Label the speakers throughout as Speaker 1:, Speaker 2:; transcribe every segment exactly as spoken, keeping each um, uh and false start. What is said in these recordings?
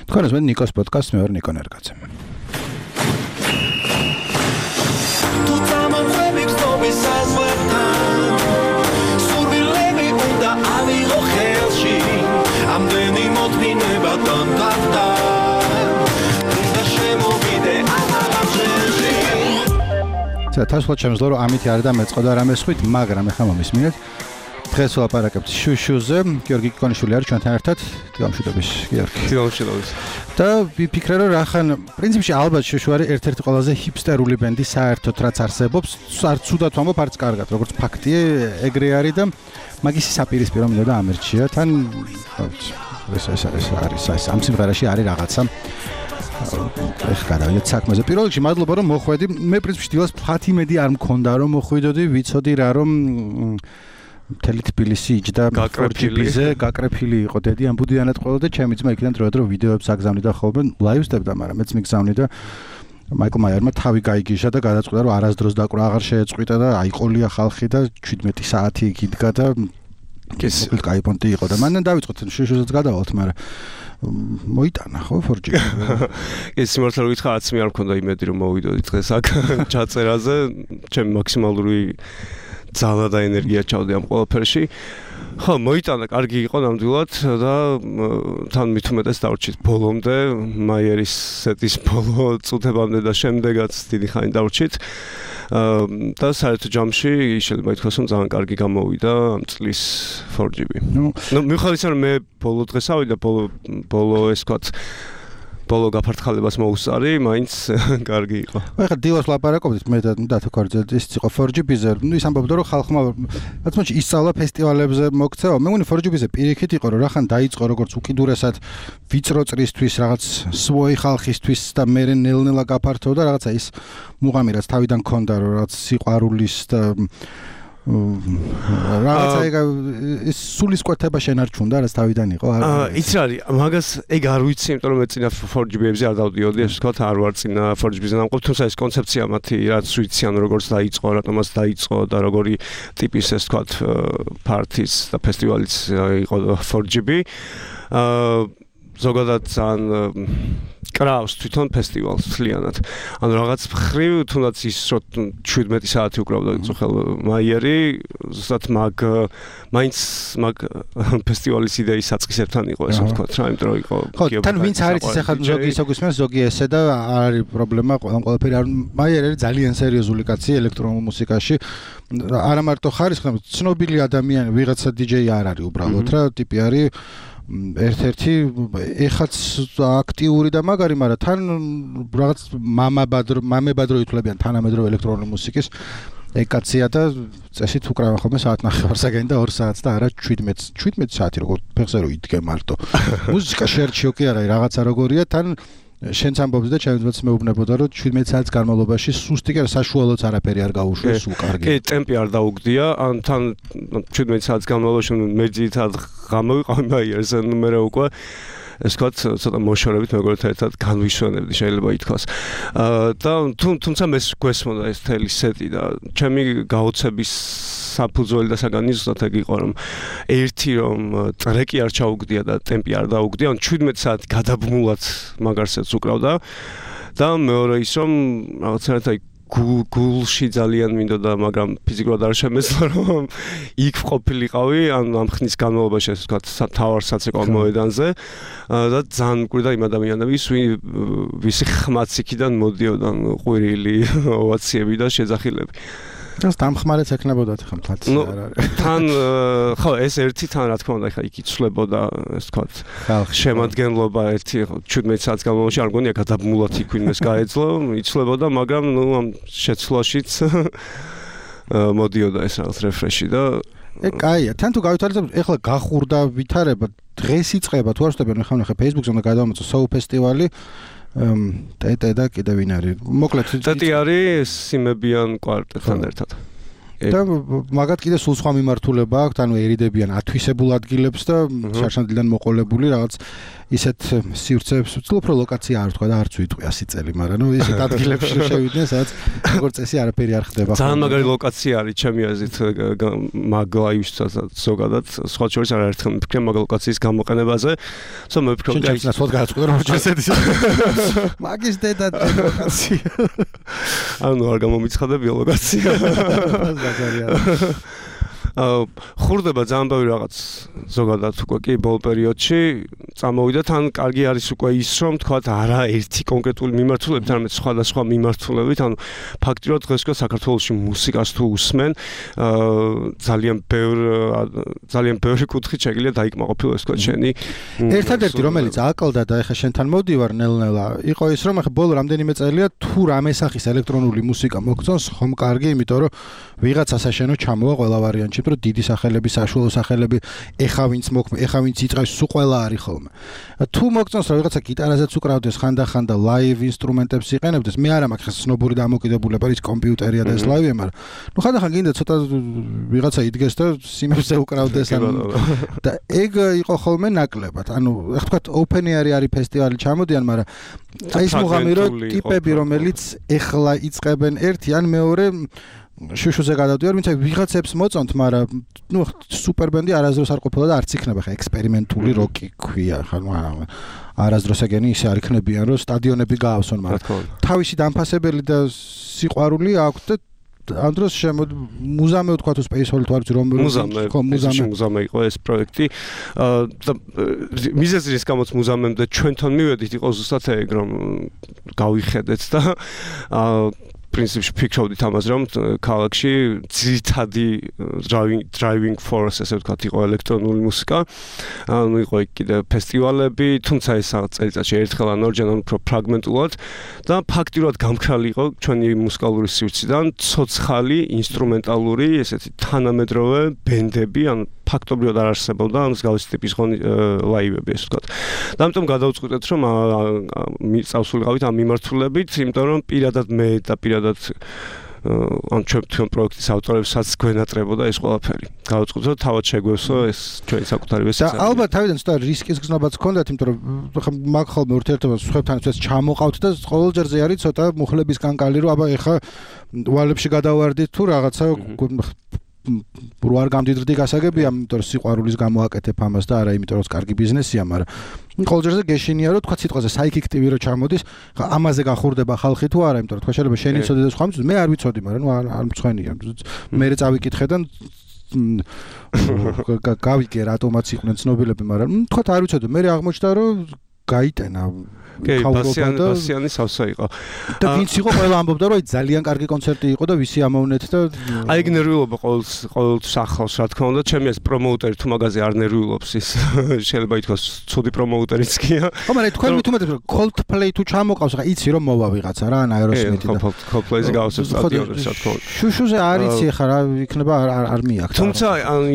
Speaker 1: თქვენს მე ნიკოს პოდკასტს მე ვარ ნიკო ნერგაძე. თასვლად შემძლო რომ ამით არ დამეწყოდა რამე სხვით, მაგრამ ეხლა მომისმინეთ. დღეს ვლაპარაკებთ შუშუზე, გიორგი კიკონიშვილი არის ჩვენთან ერთად. დილამშვიდობის, გიორგი.
Speaker 2: დილამშვიდობის.
Speaker 1: და ვიფიქრე რომ რახან პრინციპში ალბათ შუშუ არის ერთ-ერთი ყველაზე ჰიპსტერული ბენდი საერთოდ რაც არსებობს. არც ცუდად ვამბობ, არც კარგად, როგორც ფაქტია, ეგრე არის და მაგისი საპირისპირო მინდოდა ამერჩია. თან ეს ეს არის ეს ამ სიმღერაში არის რაღაცა ეხ გადავიდეთ საქმეზე. პირველ რიგში მადლობა რომ მოხვედი. მე პრინციპში დილას ფათი მედი არ მქონდა რომ მოხვიდოდი, ვიცოდი რა რომ მთელი თბილისი იჯდა ფორ ჯი ბი-ზე, გაკრეფილი იყო დედი ამ ბუდიანად ყოლოდა და ჩემი ძმა იქიდან დროდადრო ვიდეოებს აგზავნიდა ხოლმე, ლაივსდებდა, მაგრამ მეც მიგზავნი და მაიკლ მაიერმა თავი გაიგიშა და გადაწყვიტა რომ არასდროს დაკვრა აღარ შეეწყვიტა და აიყოლია ხალხი და შვიდმეტი საათი იქ იდგა და ეს კაი პონტი იყო და მანდ დავიწყოთ შუშუზეც გადავალთ, მაგრამ მოიტანა ხო ფორ ჯი ბი.
Speaker 2: ეს სიმართლე ვიტყვა, არც მე არ მქონდა იმედი რომ მოვიდოდი დღეს აქ ჩაწერაზე, ჩემი მაქსიმალური ძალა და ენერგია ჩავდი ამ ყველაფერში. ხო, მოიტანა, კარგი იყო ნამდვილად და თან მით უმეტეს დავრჩით ბოლომდე, მაიერის სეტის ბოლო წუთებამდე და შემდეგაც დიდი ხანი დავრჩით. და საერთო ჯამში შეიძლება ითქვას რომ ძალიან კარგი გამოვიდა ამ წლის ფორ ჯი ბი. ნუ მიუხედავად იმისა რომ მე ბოლო დღეს ავიდა, ბოლო ბოლო ეს ვთქვათ ბოლო გაფართხალებას მოუსწარი, მაინც კარგი იყო.
Speaker 1: ეხლა დილას ვლაპარაკობდით მე და დათოქორიძე ის იყო ფორ ჯი ბი-ზე. ნუ ის ამბობდა რომ ხალხმა რაც მოჩი ისწავლა ფესტივალებზე მოქცევა. მე მგონი ფორ ჯი ბი-ზე პირიქით იყო რომ რახან დაიწყო როგორც უკიდურესად ვიწრო წრისთვის რაღაც სვოი ხალხისთვის და მე ნელ-ნელა გაფართოვდა რაღაცა ის მუღამი რაც თავიდან ქონდა რომ რაღაც სიყვარულის და რაღაცა ეგ ის სულისკვეთება შენარჩუნდა რაც თავიდან იყო.
Speaker 2: იცი რა არის, მაგას ეგ არ ვიცი, იმიტომ რომ მე წინა ფორ ჯი ბი-ებზე არ დავდიოდი, ასე ვთქვათ, არ ვარ წინა ფორ ჯი ბი-ზე ნამყოფ, თუმცა ეს კონცეფცია მათი რაც ვიციან როგორც დაიწყო, რატომაც დაიწყო და როგორი ტიპის ეს ვთქვათ პარტის და ფესტივალიც იყო ფორ ჯი ბი. ზოგადად ძალიან კრავს თვითონ ფესტივალს მთლიანად. ანუ რაღაც მხრივ თუნდაც ის რომ შვიდმეტი საათი უკრავდა წუხელ მაიერი, ზუსტად მაგ მაინც მაგ ფესტივალის იდეის საწყისებთან იყო ესე ვთქვათ რა, იმიტომ რომ იყო
Speaker 1: ხო, თან ვინც არის ის ახლა ზოგი ისო გისმენს, ზოგი ესე და არ არის პრობლემა, ყველაფერი არ მაიერი არის ძალიან სერიოზული კაცი ელექტრონულ მუსიკაში. არა მარტო ხარისხი, ცნობილი ადამიანი, ვიღაცა დიჯეი არ არის უბრალოდ რა, ტიპი არის ერთ-ერთი ეხაც აქტიური და მაგარი, მაგრამ თან რაღაც მამაბადრო მამებადრო ითვლებიან თანამედროვე ელექტრონული მუსიკის ეგ კაცია და წესით უკრავენ ხოლმე საათნახევარსაგანი და ორ საათს და არა შვიდმეტი საათი როგორ ფეხზე რო იდგე მარტო. მუსიკა შერჩიო კი არა, რაღაცა როგორია, თან შენც ამბობდი და ჩემს ძმაც მეუბნებოდა რომ შვიდმეტი საათის განმავლობაში სუსტი კი არა, საშუალოც არაფერი არ გაუშვეს, სულ კარგი.
Speaker 2: კი, ტემპი არ დაუგდია, ან თან შვიდმეტი საათის განმავლობაში მე ძირითადად გამოვიყავი მაიერს, ანუ მე უკვე ეს ვთქვათ, ცოტა მოშორებით მეგობრებთან ერთად განვიშვენებდი, შეიძლება ითქვას. და თუმცა მე გვესმოდა ეს მთელი სეტი და ჩემი გაოცების საფუძველი და საგანი ზუსტად ეგ იყო რომ ერთი რომ ტრეკი არ ჩაუგდია და ტემპი არ დაუგდია, ან შვიდმეტი საათი გადაბმულად მაგარსაც უკრავდა და მეორე ის რომ რაღაცა აი გულში ძალიან მინდოდა, მაგრამ ფიზიკურად არ შემეძლო რომ იქ ყოფილიყავი, ან ამ ხნის განმავლობაში ასე ვთქვათ, თავარ საცეკვაო მოედანზე და ძალიან მკვირდა იმ ადამიანების, ვისი ხმაც იქიდან მოდიოდა, ყვირილი ოვაციები და შეძახილები.
Speaker 1: ეს დამხმარეც ეკნებოდათ ხა მთაც არ არის.
Speaker 2: თან ხო ეს ერთი თან რა თქმა უნდა ხა იქ იცვლებოდა ეს თქვა შემადგენლობა ერთი შვიდმეტი საათის განმავლობაში არ მგონია გადაბმულად იქ ვინმეს გაეძლო, იცვლებოდა, მაგრამ ნუ ამ შეცვლაშიც მოდიოდა ეს რაღაც რეფრეში და
Speaker 1: ეგ კაია. თან თუ გავითვალისწინებთ, ეხლა გახურდა ვითარება, დღეს იწყება, თუ არ ვსტებიან, ხა ნახე Facebook-ზე უნდა გადავამოწო Soul ფესტივალი. ტეტე და კიდე ვინ არის? მოკლედ
Speaker 2: ტეტი არის სიმებიან კვარტეტთან ერთად.
Speaker 1: და მაგათ კიდე სულ სხვა მიმართულება აქვს, ანუ ერიდებიან ათვისებულ ადგილებს და შარშანდიდან მოყოლებული რაღაც ისეთ სივრცეებს, უფრო ლოკაცია არ თქვა და არც ვიტყვი ასი წელი, მაგრამ ნუ ისეთ ადგილებში შევიდნენ, სადაც როგორც წესი არაფერი არ ხდება.
Speaker 2: ძალიან მაგარი ლოკაცია არის ჩემი აზრით მაგ ლაივისთვისაც ზოგადად, სხვა შორის არაერთხელ მიფიქრე მაგ ლოკაციის გამოყენებაზე. თუმცა მე ვფიქრობ,
Speaker 1: აი ეს სულ გააწყდა რომ შესედის. მაგის დედა ლოკაცია.
Speaker 2: ანუ არ გამომიცხადებია ლოკაცია. აა ხურდება ძალიან ბევრი რაღაც ზოგადად უკვე კი ბოლო პერიოდში წამოვიდა თან კარგი არის უკვე ის რომ თქვა არა ერთი კონკრეტული მიმართულებით არამედ სხვადასხვა მიმართულებით ანუ ფაქტიურად დღეს უკვე საქართველოში მუსიკას თუ უსმენ აა ძალიან ბევრ ძალიან ბევრი კუთხით შეგიძლია დაიკმაყოფილო ეს თქვა შენი
Speaker 1: ერთადერთი რომელიც აკლდა და ეხა შენთან მოვდივარ ნელ-ნელა იყო ის რომ ეხა ბოლო რამდენიმე წელია თუ რამე სახის ელექტრონული მუსიკა მოგწონს ხომ კარგი იმიტომ რომ ვიღაცა საშენო ჩამოვა ყველა ვარიანტში რომ დიდი სახელები, საშუალო სახელები, ეხა ვინც მოქმე, ეხა ვინც იწევს, სულ ყველა არის ხოლმე. თუ მოგწონს რომ ვიღაცა გიტარაზეც უკრავდეს ხანდახან და ლაივ ინსტრუმენტებს იყენებდეს, მე არა მაქვს სნობური დამოკიდებულება, ის კომპიუტერია და ეს ლაივია, მაგრამ ნუ ხანდახან გინდა ცოტა ვიღაცა იდგეს და სიმებზე უკრავდეს ანუ და ეგ იყო ხოლმე ნაკლებად. ანუ ეხლა თქვა open air არის ფესტივალი ჩამოდიან, მაგრამ აი ეს მუღამირო ტიპები რომელიც ეხლა იწყებენ ერთი ან მეორე შუშუზე გადავდივარ, ვინც ვიღაცებს მოწონთ, მაგრამ ნუ სუპერ ბენდი არასდროს არ ყოფილა და არც იქნება ხა ექსპერიმენტული როკი ქვია, ხა არასდროს ეგენი ისე არ იქნებიან, რომ სტადიონები გაავსონ, მაგრამ თავისი დამფასებელი და სიყვარული აქვს და ამ დროს შემოდ მუზამე ვთქვა თუ Space Hall თუ არ ვიცი რომ
Speaker 2: მუზამე მუზამე მუზამე იყო ეს პროექტი და მიზეზი რის გამოც მუზამემდე ჩვენთან მივედით იყო ზუსტად ეგ რომ გავიხედეთ და პრინციპში ფიქრობდით ამაზე რომ ქალაქში ძირითადი driving driving force ესე ვთქვათ იყო ელექტრონული მუსიკა ანუ იყო კიდე ფესტივალები თუმცა ეს წელიწადში ერთხელ ან ორჯერ ან უფრო ფრაგმენტულად და ფაქტიურად გამქრალი იყო ჩვენი მუსიკალური სივრციდან ცოცხალი ინსტრუმენტალური ესეთი თანამედროვე ბენდები ან ფაქტობრივად არ არსებობდა ამ მსგავსი ტიპის ლაივები ესე ვთქვათ და ამიტომ გადავწყვიტეთ რომ წავსულიყავით ამ მიმართულებით იმიტომ რომ პირადად მე და პირადად ან ჩვენ პროექტის ავტორებსაც გვენატრებოდა ეს ყველაფერი. გავაწყვეტე რომ თავად შეგვევსო ეს ჩვენი საკუთარი ვესეცი.
Speaker 1: და ალბათ თავიდან ცოტა რისკის გზნობაც ჰქონდათ, იმიტომ რომ ხა მაგ ხოლმე ურთიერთობა სხვებთან ეს ჩამოყავთ და ყოველ ჯერზე არის ცოტა მუხლების კანკალი, რომ აბა ეხა ვალებში გადავარდით თუ რაღაცა რო არ გამდიდრდი გასაგებია, იმიტომ რომ სიყვარულის გამო აკეთებ ამას და არა იმიტომ რომ კარგი ბიზნესია, მაგრამ ყოველ ჯერზე გეშინია რომ თქვა სიტყვაზე psychic ტივი რო ჩამოდის, ამაზე გახურდება ხალხი თუ არა, იმიტომ რომ თქვა შეიძლება შენი ცოდი და სხვა მის მე არ ვიცოდი, მაგრამ ნუ არ მწვენია. მე წავიკითხე და გავიგე რატომაც იყვნენ ცნობილები, მაგრამ თქვა არ ვიცოდი, მე აღმოჩნდა რომ გაიტენა
Speaker 2: კი, ბასიანი ბასიანი სავსე იყო.
Speaker 1: და ვინც იყო ყველა ამბობდა რომ აი ძალიან კარგი კონცერტი იყო და ვისი ამოვნეთ და
Speaker 2: აი ეგ ნერვიულობა ყოველ ყოველ სახავს რა თქმა უნდა, ჩემი ეს პრომოუტერი თუ მაგაზე არ ნერვიულობს ის შეიძლება ითქვას ცუდი პრომოუტერიც გია.
Speaker 1: ხო, მაგრამ თქვენ მithumetes რომ Coldplay თუ ჩამოყავს, რა იცი რომ მოვა ვიღაცა რა, ან Aerosmith და
Speaker 2: Coldplay-ზე გავასწრებს სტადიონებს რა თქმა უნდა.
Speaker 1: შუშუზე არ იცი ხა რა იქნება არ არ მიაქვს.
Speaker 2: თუმცა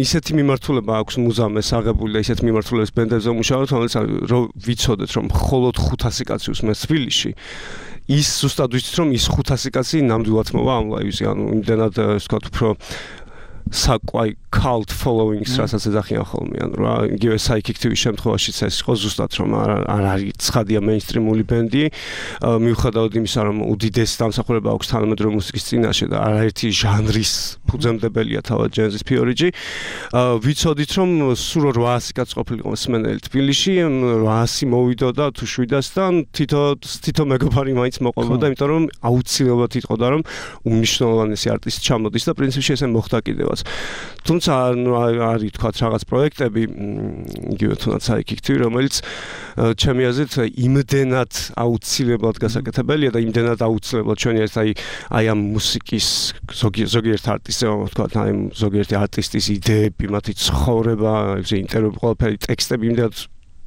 Speaker 2: ისეთი მიმართულება აქვს მუზამეს აღებული და ისეთი მიმართულების ბენდებზე მუშაობთ, რომელიც რომ ვიცოდეთ რომ მხოლოდ ხუთასი კაცი უსმენს თბილისში ის ზუსტად ვიცით რომ ის ხუთასი კაცი ნამდვილად მოვა ამ ლაივზე ანუ იმდენად ასე ვთქვათ უფრო საკვაი cult followings რასაც ეძახიან ხოლმე ანუ რა იგივე psychic ტივის შემთხვევაშიც ეს იყო ზუსტად რომ არ არის ცხადია მეინსტრიმული ბენდი მიუხედავად იმისა რომ უდიდესი დამსახურება აქვს თანამედროვე მუსიკის წინაშე და არაერთი ჟანრის ფუძემდებელია თავად ჯენზის ფიორიჯი ვიცოდით რომ სულ რვაასი კაცი ყოფილიყო მსმენელი თბილისში რვაასი მოვიდოდა თუ შვიდასთან თითო თითო მეგობარი მაინც მოყოლოდა იმიტომ რომ აუცილებლად იტყოდა რომ უნიშნულოვანესი არტისტი ჩამოდის და პრინციპში ესე მოხდა კიდევაც თუმცა არის თქვათ რაღაც პროექტები იგივე თუნდაც psychic-ი რომელიც ჩემი აზრით იმდენად აუცილებლად გასაკეთებელია და იმდენად აუცილებლად ჩვენი ეს აი აი ამ მუსიკის ზოგიერთ არტისტზე ვთქვათ აი ზოგიერთი არტისტის იდეები მათი ცხოვრება ეს ინტერვიუ ყველაფერი ტექსტები იმდენად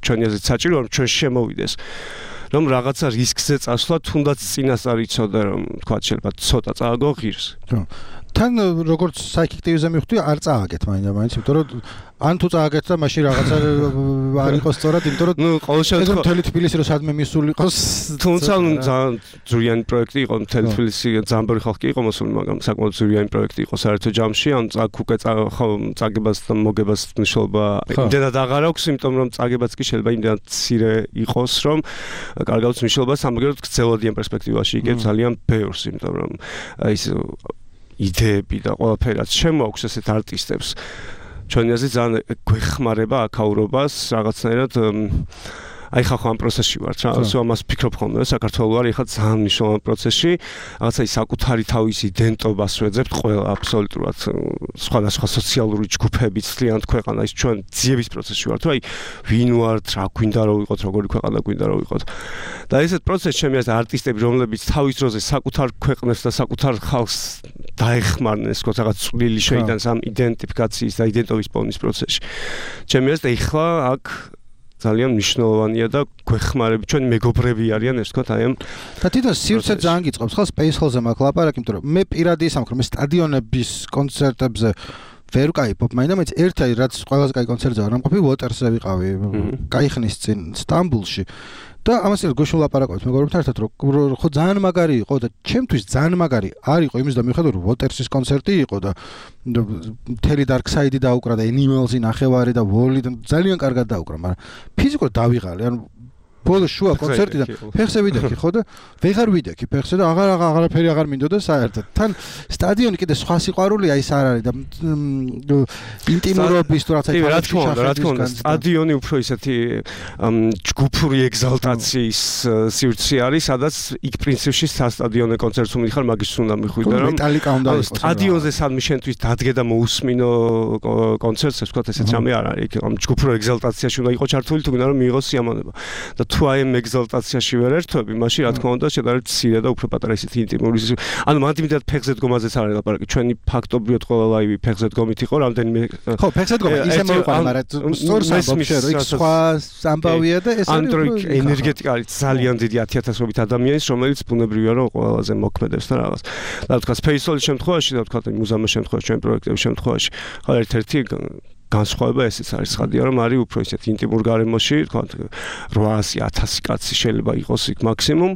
Speaker 2: ჩვენი აზრით საჭიროა რომ ჩვენ შემოვიდეს რომ რაღაცა რისკზე წასვლა თუნდაც წინასწარ იცოდე რომ თქვათ შეიძლება ცოტა წააგო ღირს.
Speaker 1: თან როგორც საიქექტივზე მივხვდი, არ წააგეთ მაინდა-მაინც, იმიტომ რომ ან თუ წააგეთ და მაშინ რაღაცა არ იყოს სწორად, იმიტომ რომ
Speaker 2: ნუ ყოველ შემთხვევაში
Speaker 1: მთელი თბილისი რომ სადმე მისული იყოს.
Speaker 2: თუმცა ძალიან ძვირიანი პროექტი იყო, მთელი თბილისი ძალიან ხალხი იყო მოსული, მაგრამ საკმაოდ ძვირიანი პროექტი იყო საერთო ჯამში, ან წაგ უკვე წაგებას და მოგებას მნიშვნელობა იმდენად აღარ აქვს, იმიტომ რომ წაგებაც კი შეიძლება იმდენად მცირე იყოს, რომ კარგავს მნიშვნელობას, ამგვარად გრძელვადიან პერსპექტივაში იგებს ძალიან ბევრს, იმიტომ რომ ის იდეები და ყველაფერი რაც შემოაქვს ესეთ არტისტებს ჩვენი აზრით ძალიან გვეხმარება აქაურობას რაღაცნაირად აი ხახო ამ პროცესში ვარ რა სულ ამას ფიქრობ ხოლმე საქართველოს არის ხა ძალიან მნიშვნელოვან პროცესში რაღაცა ის საკუთარი თავის იდენტობას ვეძებთ ყველა აბსოლუტურად სხვადასხვა სოციალური ჯგუფები ცლიანთ ქვეყანა ის ჩვენ ძიების პროცესში ვართ აი ვინ ვართ რა გვინდა რომ ვიყოთ როგორი ქვეყანა გვინდა რომ ვიყოთ და ესეთ პროცესში ჩემი აზრით არტისტები რომლებიც თავის დროზე საკუთარ ქვეყნებს და საკუთარ ხალხს დაეხმარნენ ეს თქო რაღაც წვლილი შეიტანს ამ იდენტიფიკაციის და იდენტობის პოვნის პროცესში ჩემი აზრით ეხლა აქ ძალიან მნიშვნელოვანია და გვეხმარები ჩვენი მეგობრები არიან ეს თქვა აი ამ
Speaker 1: და თვითონ სივრცე ძალიან გიწყობს ხო Space Hall-ზე მაქვს ლაპარაკი იმიტომ რომ მე პირადი ის ამქრო მე სტადიონების კონცერტებზე ვერ ვკაიფობ მაინდა-მაინც ერთი რაც ყველაზე კაი კონცერტზე ვარ ამყოფი Waters-ზე ვიყავი კაი ხნის წინ სტამბულში და ამას ერთ გუშინ ლაპარაკობთ მეგობრებთან ერთად რომ ხო ძალიან მაგარი იყო და ჩემთვის ძალიან მაგარი არ იყო იმის და მიხედავ რომ Waters-ის კონცერტი იყო და მთელი Dark Side-ი დაუკრა და Animals-ი ნახევარი და Wall-ი და ძალიან კარგად დაუკრა მაგრამ ფიზიკურად დავიღალე ანუ ბოლო შუა კონცერტი და ფეხზე ვიდექი ხო და ვეღარ ვიდექი ფეხზე და აღარ აღარაფერი აღარ მინდოდა საერთოდ თან სტადიონი კიდე სხვა სიყვარულია ის არ არის და ინტიმურობის თუ რაღაცა
Speaker 2: რა თქმა უნდა რა თქმა უნდა სტადიონი უფრო ისეთი ჯგუფური ეგზალტაციის სივრცე არის სადაც იქ პრინციპში სტადიონზე კონცერტს უმიხარ მაგის უნდა მიხვიდე რომ
Speaker 1: მეტალიკა უნდა იყოს
Speaker 2: სტადიონზე სადმე შენთვის დადგე და მოусმინო კონცერტს ვთქვათ ესეც რამე არ არის იქ ამ ჯგუფურ ეგზალტაციაში უნდა იყოს ჩართული თუ გინდა რომ მიიღოს სიამოვნება და თუ აი ამ ეგზალტაციაში ვერ ერთვები, მაშინ რა თქმა უნდა შედარებით მცირე და უფრო პატარა ისეთი ინტიმური ანუ მათ იმედად ფეხზე დგომაზეც არ არის ლაპარაკი. ჩვენი ფაქტობრივად ყველა ლაივი ფეხზე დგომით იყო, რამდენიმე
Speaker 1: ხო, ფეხზე დგომა ისე მოიყვანა, მაგრამ სწორს ამბობ რომ იქ სხვა ამბავია და ეს
Speaker 2: არის ენერგეტიკა არის ძალიან დიდი ათი ათასობით ადამიანის, რომელიც ბუნებრივია რომ ყველაზე მოქმედებს და რაღაც. და თქვა Space Hall-ის შემთხვევაში და თქვა მუზეუმის შემთხვევაში, ჩვენ პროექტების შემთხვევაში, ხო ერთ-ერთი განსხვავება ესეც არის ხადია რომ არის უფრო ისეთ ინტიმურ გარემოში თქვა რვაასი ათასი კაცი შეიძლება იყოს იქ მაქსიმუმ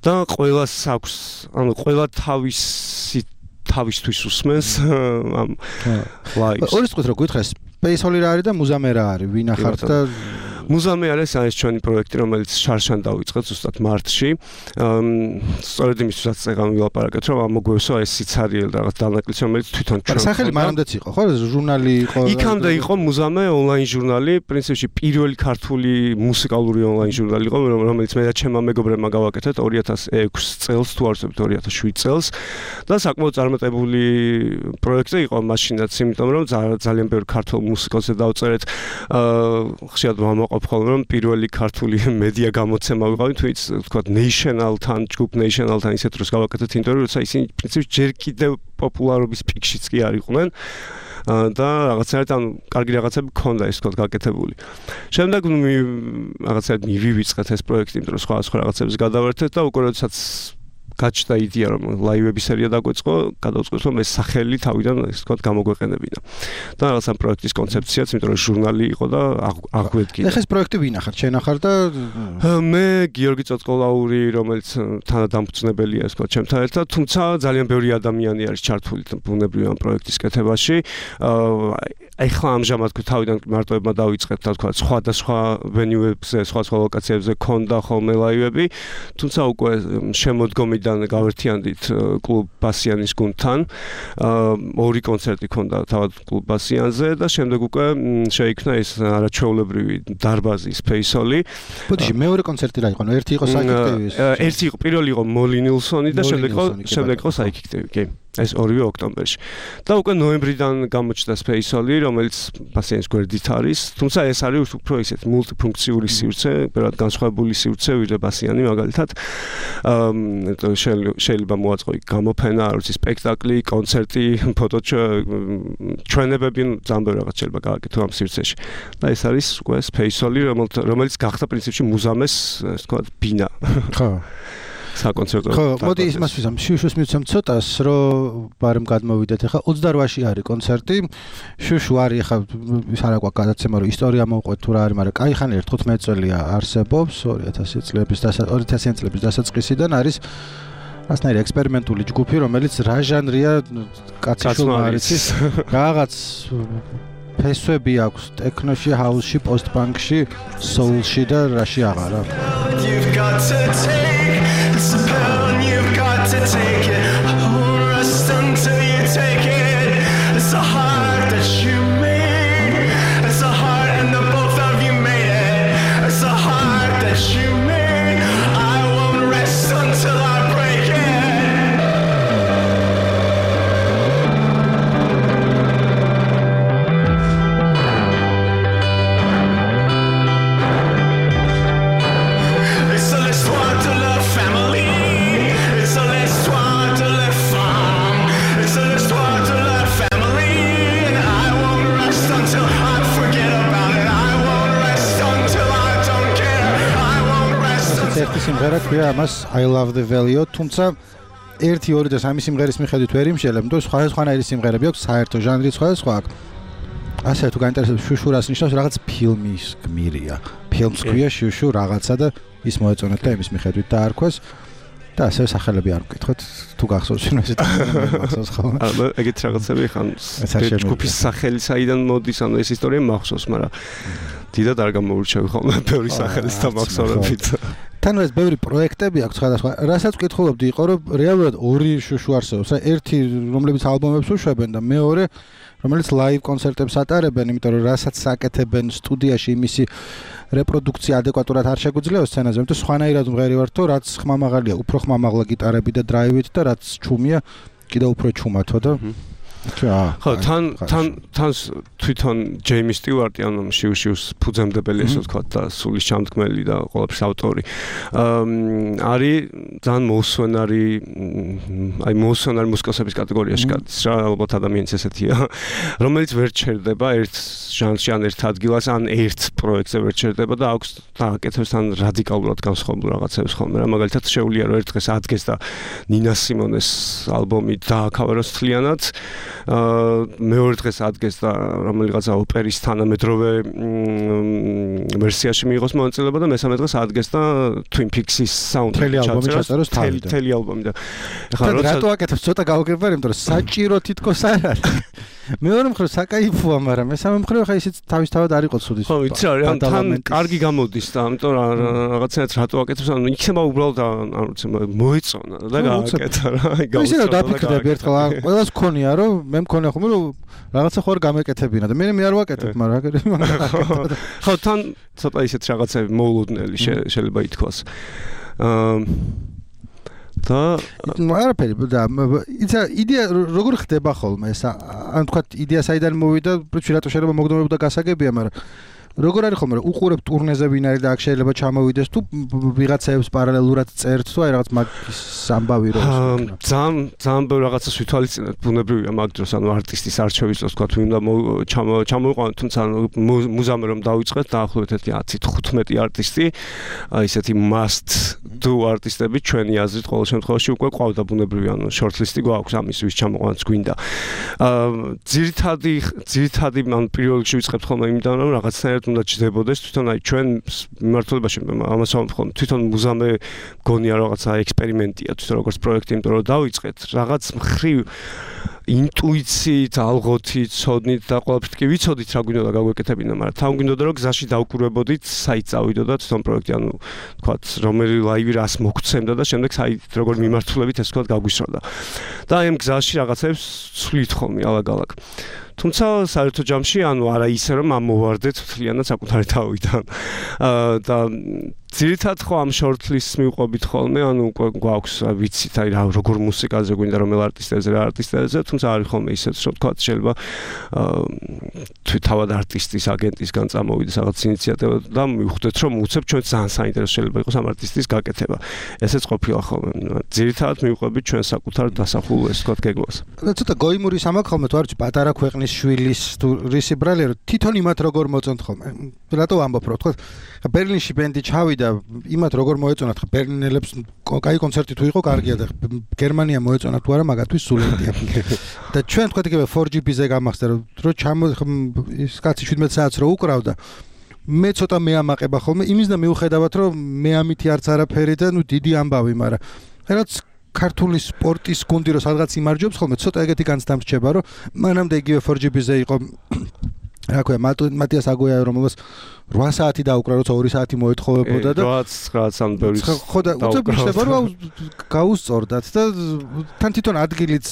Speaker 2: და ყველას აქვს ანუ ყველა თავისი თავისთვის უსმენს ამ ლაივს
Speaker 1: ორი წუთი რო გითხრეს Space Hall-ი რა არის და მუზეუმი რა არის ვინ ახართ და
Speaker 2: მუზეუმი არის ეს ჩვენი პროექტი რომელიც შარშან დავიწყეთ ზუსტად მარტში სწორედ იმისთვისაც წეგან ვილაპარაკეთ რომ ამოგვევსო ეს სიცარიელი რაღაც დანაკლისი რომელიც თვითონ ჩვენ
Speaker 1: სახელი მანამდეც იყო ხო ჟურნალი იყო
Speaker 2: იქამდე იყო მუზეუმი ონლაინ ჟურნალი პრინციპში პირველი ქართული მუსიკალური ონლაინ ჟურნალი იყო რომელიც მე და ჩემმა მეგობრებმა გავაკეთეთ ორი ათას ექვსი წელს თუ არ ვცდები ორი ათას შვიდ წელს და საკმაოდ წარმატებული პროექტი იყო მაშინაც იმიტომ რომ ძალიან ბევრი ქართულ მუსიკოსზე დავწერეთ ხშირად ვამაყობ ხოლმე რომ პირველი ქართული მედია გამოცემა ვიყავით თვით თქვა National-თან ჯგუფ National-თან ისეთ დროს გავაკეთეთ ინტერვიუ როცა ისინი პრინციპში ჯერ კიდევ პოპულარობის პიკშიც კი არ იყვნენ და რაღაცაერთ ანუ კარგი რაღაცები ქონდა ის თქო გაკეთებული. შემდეგ რაღაცაერთ მივივიწყეთ ეს პროექტი იმიტომ რომ სხვა სხვა რაღაცებს გადავერთეთ და უკვე როდესაც გაჩნდა იდეა რომ ლაივების სერია დაგვეწყო, გადავწყვეტ რომ ეს სახელი თავიდან ეს თქო გამოგვეყენებინა. და რაღაც ამ პროექტის კონცეფციაც, იმიტომ რომ ჟურნალი იყო და აღვედგინა.
Speaker 1: ეხლა ეს პროექტი ვინ ახარ? შენ ახარ და
Speaker 2: მე გიორგი წოწყოლაური, რომელიც თანადამფუძნებელია ეს თქო ჩემთან ერთად, თუმცა ძალიან ბევრი ადამიანი არის ჩართული ბუნებრივი ამ პროექტის კეთებაში. ეხლა ამჟამად თავიდან მარტოებმა დავიწყეთ და თქო სხვადასხვა ვენიუებზე, სხვადასხვა ლოკაციებზე ქონდა ხოლმე ლაივები, თუმცა უკვე შემოდგომიდან გავერთიანდით კლუბ ბასიანის გუნდთან. ორი კონცერტი ქონდა თავად კლუბ ბასიანზე და შემდეგ უკვე შეიქმნა ეს არაჩვეულებრივი დარბაზი Space Hall-ი.
Speaker 1: ბოდიში მეორე კონცერტი რა იყო? ერთი იყო საიქექტივის.
Speaker 2: ერთი იყო, პირველი იყო Molly Nilsson-ი და შემდეგ იყო შემდეგ იყო საიქექტივი, კი. ეს ორივე ოქტომბერში. და უკვე ნოემბრიდან გამოჩნდა Space Hall-ი, რომელიც ბასიანის გვერდით არის, თუმცა ეს არის უფრო ისეთ მულტიფუნქციური სივრცე, ბევრად განსხვავებული სივრცე, ვიდრე ბასიანი მაგალითად. აა შეიძლება მოაწყო იქ გამოფენა, არ ვიცი, სპექტაკლი, კონცერტი, ფოტო ჩვენებები, ძალიან ბევრი რაღაც შეიძლება გააკეთო ამ სივრცეში. და ეს არის უკვე Space Hall-ი, რომელიც გახდა პრინციპში მუზეუმის, ასე ვთქვათ, ბინა.
Speaker 1: ხო.
Speaker 2: საკონცერტო.
Speaker 1: ხო, მოდი იმას ვიზამ, შუშუს მივცემ ცოტას, რომ ბარემ გადმოვიდეთ. ახლა ოცდაოთხში არის კონცერტი. შუშუ არის ახლა ის არა გვაქვს გადაცემა, რომ ისტორია მოვყვეთ თუ რა არის, მაგრამ კაი ხანი თხუთმეტი წელია არსებობს, ორი ათასი წლების ორი ათასიანი წლების დასაწყისიდან არის ასნაირი ექსპერიმენტული ჯგუფი, რომელიც რა ჟანრია კაცი შულმა არის. რაღაც ფესვები აქვს ტექნოში, ჰაუსში, პოსტ-პანკში, soul-ში და რაში აღარა. You've got to take it's a pill and you've got to take it. Hold rest until you take it. It's a heart that you made. It's a heart and the both of you made it. It's a heart that you made. I won't rest until I break it. ერთი სიმღერა ქვია ამას I love the Valley-ო, თუმცა ერთი ორი და სამი სიმღერის მიხედვით ვერ იმშელებ, იმიტომ რომ სხვადასხვანაირი სიმღერები აქვს, საერთო ჟანრი სხვადასხვა აქვს. ასე თუ გაინტერესებს შუშუ რას ნიშნავს, რაღაც ფილმის გმირია. ფილმს ქვია შუშუ რაღაცა და ის მოეწონათ და იმის მიხედვით დაარქვეს. და ასე სახელები არ მკითხოთ, თუ გახსოვს შენ ესეთ მახსოვს ხოლმე.
Speaker 2: აა ეგეთ რაღაცები ხან ჯგუფის სახელი საიდან მოდის, ანუ ეს ისტორია მახსოვს, მაგრამ დიდად არ გამოურჩევი ხოლმე ბევრი სახელის და მახსოვრებით. თან
Speaker 1: ეს ბევრი პროექტები აქვს სხვადასხვა. რასაც ვკითხულობდი იყო, რომ რეალურად ორი შუშუ არსებობს. ერთი რომლებიც ალბომებს უშვებენ და მეორე რომელიც ლაივ კონცერტებს ატარებენ, იმიტომ რომ რასაც აკეთებენ სტუდიაში იმისი რეპროდუქცია ადეკვატურად არ შეგვიძლია სცენაზე, იმიტომ სხვანაირად მღერი ვართო, რაც ხმამაღალია, უფრო ხმამაღლა გიტარები და დრაივით და რაც ჩუმია, კიდევ უფრო ჩუმათო და
Speaker 2: ხო, თან თან თან თვითონ ჯეიმი სტიუარტი, ანუ შიუშიუს ფუძემდებელი, ესე ვთქვათ, და სულის ჩამდგმელი და ყველაფრის ავტორი. არის ძალიან მოუსვენარი, აი მოუსვენარი მუსიკოსების კატეგორიაში გადის რა, ალბათ ადამიანის ესეთია, რომელიც ვერ ჩერდება ერთ ჟანრში, ან ერთ ადგილას, ან ერთ პროექტზე ვერ ჩერდება და აქვს დააკეთებს თან რადიკალურად განსხვავებულ რაღაცებს ხოლმე. რა მაგალითად შეუძლია რომ ერთ დღეს ადგეს და ნინა სიმონეს ალბომი დააკავეროს თლიანად. აა მეორე დღეს ადგეს და რომელიღაცა ოპერის თანამედროვე ვერსიაში მიიღოს მონაწილეობა და მესამე დღეს ადგეს და Twin Peaks-ის საუნდტრეკი
Speaker 1: ჩაწეროს თავიდან.
Speaker 2: თელი ალბომი და
Speaker 1: ეხლა რატო აკეთებს ცოტა გავგებარ, იმიტომ რომ საჭირო თითქოს არ არის. მეორე მხრივ საკაიფოა, მაგრამ მესამე მხრივ ხა ისიც თავისთავად არ იყო ცუდი.
Speaker 2: ხო, იცი რა, ან თან კარგი გამოდის და ამიტომ რაღაცნაირად რატო აკეთებს, ანუ იქნება უბრალოდ არ ვიცი, მოეწონა და გააკეთა რა. აი
Speaker 1: გავუსწავლე. ისე რომ დაფიქრდები ერთხელ, ყველას გქონია რომ მე მქონია ხომ რომ რაღაცა ხო არ გამეკეთებინა და მე მე არ ვაკეთებ, მაგრამ რა გაკეთებ.
Speaker 2: ხო, თან ცოტა ისეთ რაღაცები მოულოდნელი შეიძლება ითქვას. აა და
Speaker 1: არაფერი და ისა იდეა როგორ ხდება ხოლმე ეს ან თქვა იდეა საიდან მოვიდა პრინციპი რატო შეიძლება მოგდომებოდა გასაგებია, მაგრამ როგორ არის ხოლმე უყურებ ტურნეზე ვინ არის და აქ შეიძლება ჩამოვიდეს თუ ვიღაცებს პარალელურად წერთ თუ აი რაღაც მაგის ამბავი რო
Speaker 2: ძალიან ძალიან ბევრი რაღაცას ვითვალისწინებთ, ბუნებრივია მაგ დროს, ანუ არტისტის არჩევის დროს თქვა ვინ უნდა ჩამოვიყვანოთ, თუმცა მუზამე რომ დავიწყეთ დაახლოებით ათი თხუთმეტი არტისტი, აი ესეთი must do არტისტები ჩვენი აზრით ყოველ შემთხვევაში უკვე ყავდა ბუნებრივია, ანუ shortlist-ი გვაქვს ამის ვის ჩამოყვანაც გვინდა. აა ძირითადი ძირითადი ან პირველ რიგში ვიწყებთ ხოლმე იმიდან რომ რაღაცნაირად უნდა ჩდებოდეს თვითონ აი ჩვენ მიმართულებაში ამას ვამბობ თვითონ მუზამე გონია რაღაცა ექსპერიმენტია თვითონ როგორც პროექტი, იმიტომ რომ დავიწყეთ რაღაც მხრივ ინტუიციით, ალღოთით, ცოდნით და ყველაფრით კი ვიცოდით რა გვინდოდა გაგვეკეთებინა, მაგრამ თან გვინდოდა რომ გზაში დავკურებოდით, საით წავიდოდა თვითონ პროექტი, ანუ თქვათ რომელი ლაივი რას მოგცემდა და შემდეგ საით როგორ მიმართულებით ეს თქვათ გაგვისროდა. და აი ამ გზაში რაღაცებს ცვლით ხოლმე ალაგ-ალაგ. თუმცა საერთო ჯამში ანუ არა ისე რომ ამოვარდეთ მთლიანად საკუთარი თავიდან. აა და ძირითადად ხო ამ shortlist-ს მივყვებით ხოლმე, ანუ უკვე გვაქვს ვიცით აი რა როგორ მუსიკაზე გვინდა რომელ არტისტებზე რა არტისტებზე, თუმცა არის ხოლმე ისეც რომ თქვა შეიძლება აა თავად არტისტის აგენტისგან წამოვიდეს რაღაც ინიციატივა და მივხვდეთ რომ უცებ ჩვენ ძალიან საინტერესო შეიძლება იყოს ამ არტისტის გაკეთება. ესეც ყოფილა ხოლმე. ძირითადად მივყვებით ჩვენ საკუთარ დასახულ ეს თქვა გეგმას.
Speaker 1: და ცოტა გოიმური სამაკ ხოლმე თუ არ ვიცი პატარა ქვეყნის შვილის თუ რისი ბრალი რომ თვითონ იმათ როგორ მოწონთ ხოლმე. რატო ამბობ რომ თქვა ბერლინში ბენდი ჩავიდა და იმათ როგორ მოეწონათ ხა ბერლინელებს კაი კონცერტი თუ იყო კარგია და გერმანია მოეწონათ თუ არა მაგათთვის სულიდია. და ჩვენ თქვათ იგივე four G B-ზე გამახსდა რომ რო ჩამო ის კაცი შვიდმეტ საათს რო უკრავდა მე ცოტა მეამაყება ხოლმე იმის და მიუხედავად რომ მე ამითი არც არაფერი და ნუ დიდი ამბავი, მაგრამ რაც ქართული სპორტის გუნდი რო სადღაც იმარჯვებს ხოლმე ცოტა ეგეთი განცდა მრჩება რომ მანამდე იგივე four G B-ზე იყო რა ქვია მატიას აგოია რომელს eight საათი დაუკრა როცა two საათი მოეთხოვებოდა და
Speaker 2: რაც რაც ამ ბევრი
Speaker 1: ხო და უცებ შეიძლება რომ გაუსწორდათ და თან თვითონ ადგილიც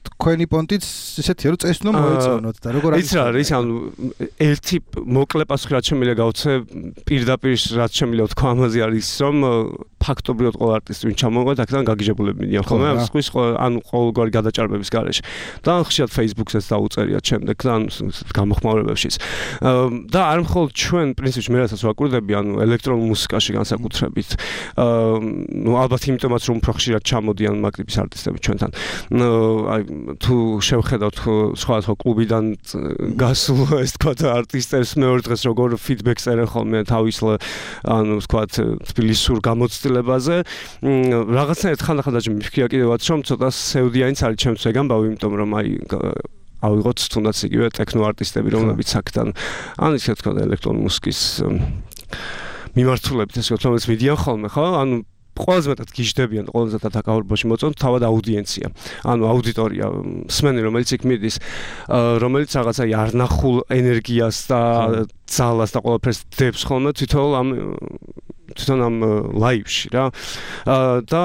Speaker 1: თქვენი პონტიც ისეთია რომ წესნო მოეწონოთ და როგორ არის
Speaker 2: ის რა არის ანუ ერთი მოკლე პასუხი რაც შემიძლია გავცე პირდაპირ რაც შემიძლია თქვა ამაზე არის რომ ფაქტობრივად ყველა არტისტი ვინ ჩამოვიდა აქედან გაგიჟებულები მიდიან ხოლმე ამ სხვის ანუ ყოველგვარი გადაჭარბების გარეშე და ხშირად Facebook-ს დაუწერიათ შემდეგ და გამოხმაურებებშიც და არ მხოლოდ ჩვენ პრინციპში მე რასაც ვაკვირდები ანუ ელექტრონულ მუსიკაში განსაკუთრებით ნუ ალბათ იმიტომაც რომ უფრო ხშირად ჩამოდიან მაგრიბის არტისტები ჩვენთან აი თუ შევხედავთ სხვადასხვა კლუბიდან გასულ ეს თქვა არტისტებს მეორე დღეს როგორ ფიდბექს წერენ ხოლმე თავის ანუ თქვა თბილისურ გამოცდილებაზე რაღაცნაირად ხანდახან დაჭი მიფიქრია კიდევაც რომ ცოტა სევდიანიც არის ჩემს ვეგამბავი იმიტომ რომ აი ავიღოთ თუნდაც იგივე ტექნო არტისტები რომლებიც აქედან ან ისე თქვა ელექტრონული მუსიკის მიმართულებით ესე ვთქვათ რომელიც მიდიან ხოლმე ხო ანუ ყველაზე მეტად გიждდებიან და ყველაზე მეტად აკავრბოში მოწონთ თავად აუდიენცია. ანუ აუდიტორია, მსმენელი რომელიც იქ მიდის, რომელიც რაღაცა არნახულ ენერგიას და ძალას და ყველაფერს დებს ხოლმე თვითონ ამ თვითონ ამ ლაივში რა. და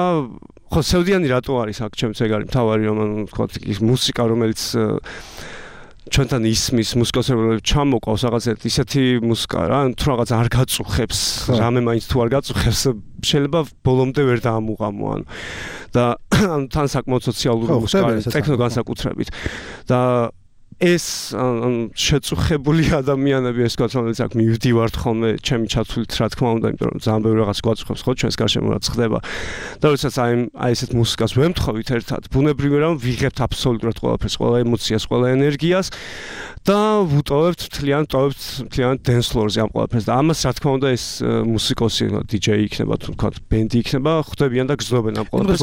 Speaker 2: ხო სევდიანი რატო არის აქ ჩემს ეგარი მთავარი რომ ანუ თქვა ის მუსიკა რომელიც ჩვენთან ისმის მუსიკოსებს ჩამოყავს რაღაცა ისეთი მუსიკა რა თუ რაღაც არ გაწუხებს რამე მაინც თუ არ გაწუხებს შეიძლება ბოლომდე ვერ დაამუღამო ანუ და ანუ თან საკმაოდ სოციალური მუსიკა ტექნო განსაკუთრებით და ეს შეწუხებული ადამიანები ეს თქვა რომელიც აქ მივდივართ ხოლმე ჩემი ჩათვლით რა თქმა უნდა იმიტომ რომ ძალიან ბევრი რაღაც გვაწუხებს ხო ჩვენს გარშემო რაც ხდება და როდესაც აი აი ესეთ მუსიკას ვემთხოვით ერთად ბუნებრივია რომ ვიღებთ აბსოლუტურად ყველაფერს ყველა ემოციას ყველა ენერგიას და ვუტოვებთ მთლიან ტოვებთ მთლიან dance floor-ზე ამ ყველაფერს და ამას რა თქმა უნდა ეს მუსიკოსი დიჯეი იქნება თუ თქვა ბენდი იქნება ხვდებიან და გრძნობენ ამ ყველაფერს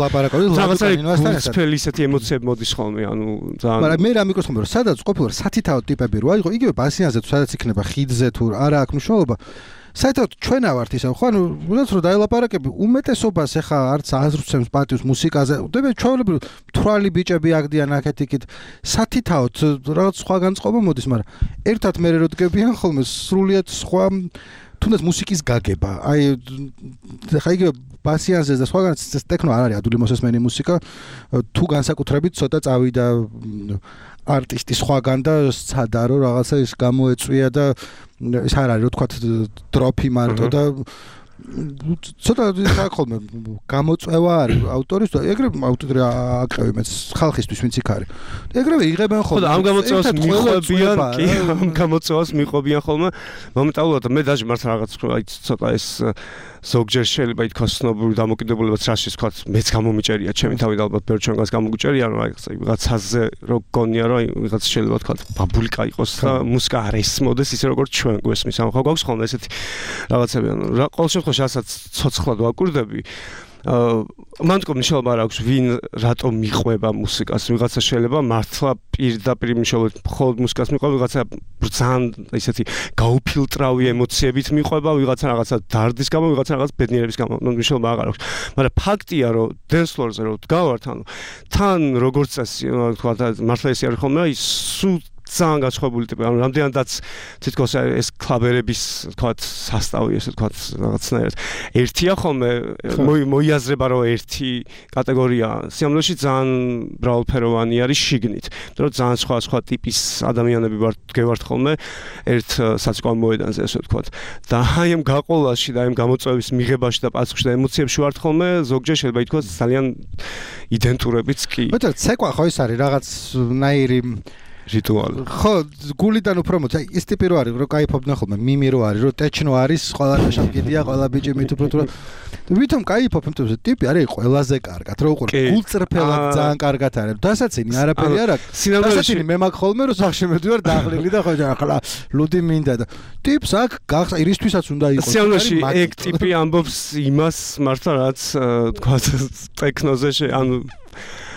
Speaker 2: რაღაცა გულწრფელი ისეთი ემოციები მოდის ხოლმე ანუ ძალიან
Speaker 1: მაგრამ მე რა მიკროს ხოლმე რომ სადაც ყოფილიყო სათითაო ტიპები რო აიღო იგივე ბასიანზე თუ სადაც იქნება ხიდზე თუ არა აქვს მნიშვნელობა საერთოდ ჩვენა ვართ ისე ხო ანუ უნდათ რომ დაელაპარაკები უმეტესობას ეხა არც აზრს პატივს მუსიკაზე უდები ჩვეულებრივ თვრალი ბიჭები აგდიან აქეთ-იქით სათითაოდ რაღაც სხვა განწყობა მოდის მაგრამ ერთად მე რო დგებიან ხოლმე სრულიად სხვა თუნდაც მუსიკის გაგება აი ხა იგივე ბასიანზე და სხვაგან ტექნო არ არის ადვილი მოსესმენი მუსიკა თუ განსაკუთრებით ცოტა წავიდა არტისტი სხვაგან და სცადა რომ რაღაცა ის გამოეწვია და ის არ არის რო თქვა დროფი მარტო და ცოტა ხოლმე გამოწვევა არის ავტორის და ეგრევე ავტორი აკრევი მეც ხალხისთვის ვინც იქ არის ეგრევე იღებენ ხოლმე
Speaker 2: ხო ამ გამოწვევას მიყვებიან კი ამ გამოწვევას მიყვებიან ხოლმე მომენტალურად მე დაჟე მართლა რაღაც აი ცოტა ეს ზოგჯერ შეიძლება ითქვას ცნობური დამოკიდებულებაც რაშიც თქვა მეც გამომიჭერია ჩემი თავი და ალბათ ბევრ ჩვენგანს გამოგიჭერია რომ აი ვიღაცაზე რო გონია რომ აი ვიღაც შეიძლება თქვა ბაბულიკა იყოს და მუსიკა არ ესმოდეს ისე როგორც ჩვენ გვესმის ამ ხო გვაქვს ხოლმე ესეთი რაღაცები ანუ რა ყოველ შემთხვევაში რასაც ცოცხლად ვაკვირდები მან თქო მნიშვნელობა არ აქვს ვინ რატომ მიყვება მუსიკას ვიღაცა შეიძლება მართლა პირდაპირ მნიშვნელობით მხოლოდ მუსიკას მიყვება ვიღაცა ძალიან ისეთი გაუფილტრავი ემოციებით მიყვება ვიღაცა რაღაცა დარდის გამო ვიღაცა რაღაც ბედნიერების გამო მნიშვნელობა აღარ აქვს მაგრამ ფაქტია რომ dance floor-ზე რო დგავართ ანუ თან როგორც წესი თქვა მართლა ესე არის ხოლმე აი სულ ძალიან გაცხებული ტიპი ანუ რამდენადაც თითქოს ეს კლაბერების თქვა სასტავი ესე თქვა რაღაცნაირად ერთია ხოლმე მოიაზრება რომ ერთი კატეგორია სიამოვნებაში ძალიან მრავალფეროვანი არის შიგნით იმიტომ რომ ძალიან სხვა სხვა ტიპის ადამიანები ვართ დგევართ ხოლმე ერთ საციკო მოედანზე ესე თქვა და აი ამ გაყოლაში და აი ამ გამოწვევის მიღებაში და პასუხში და ემოციებში ვართ ხოლმე ზოგჯერ შეიძლება ითქვას ძალიან იდენტურებიც კი
Speaker 1: მეტად ცეკვა ხო ის არის რაღაცნაირი
Speaker 2: რიტუალი.
Speaker 1: ხო, გულიდან უფრო მოც, აი ეს ტიპი რო არის, რო кайფობდნენ ხოლმე, მიმი რო არის, რო ტეჩნო არის, ყველა შავკიდია, ყველა ბიჭი მით უფრო თუ ვითომ кайფობ, იმიტომ რომ ტიპი არის ყველაზე კარგად, რო უყურე, გულწრფელად ძალიან კარგად არის. დასაცინი არაფერი არ აქვს. დასაცინი მე მაგ ხოლმე რო სახში მედივარ დაღლილი და ხო ახლა ლუდი მინდა და ტიპს აქ გახსა ირისთვისაც უნდა იყოს.
Speaker 2: სიამოვნებაში ეგ ტიპი ამბობს იმას მართლა რაც თქვა ტექნოზე ანუ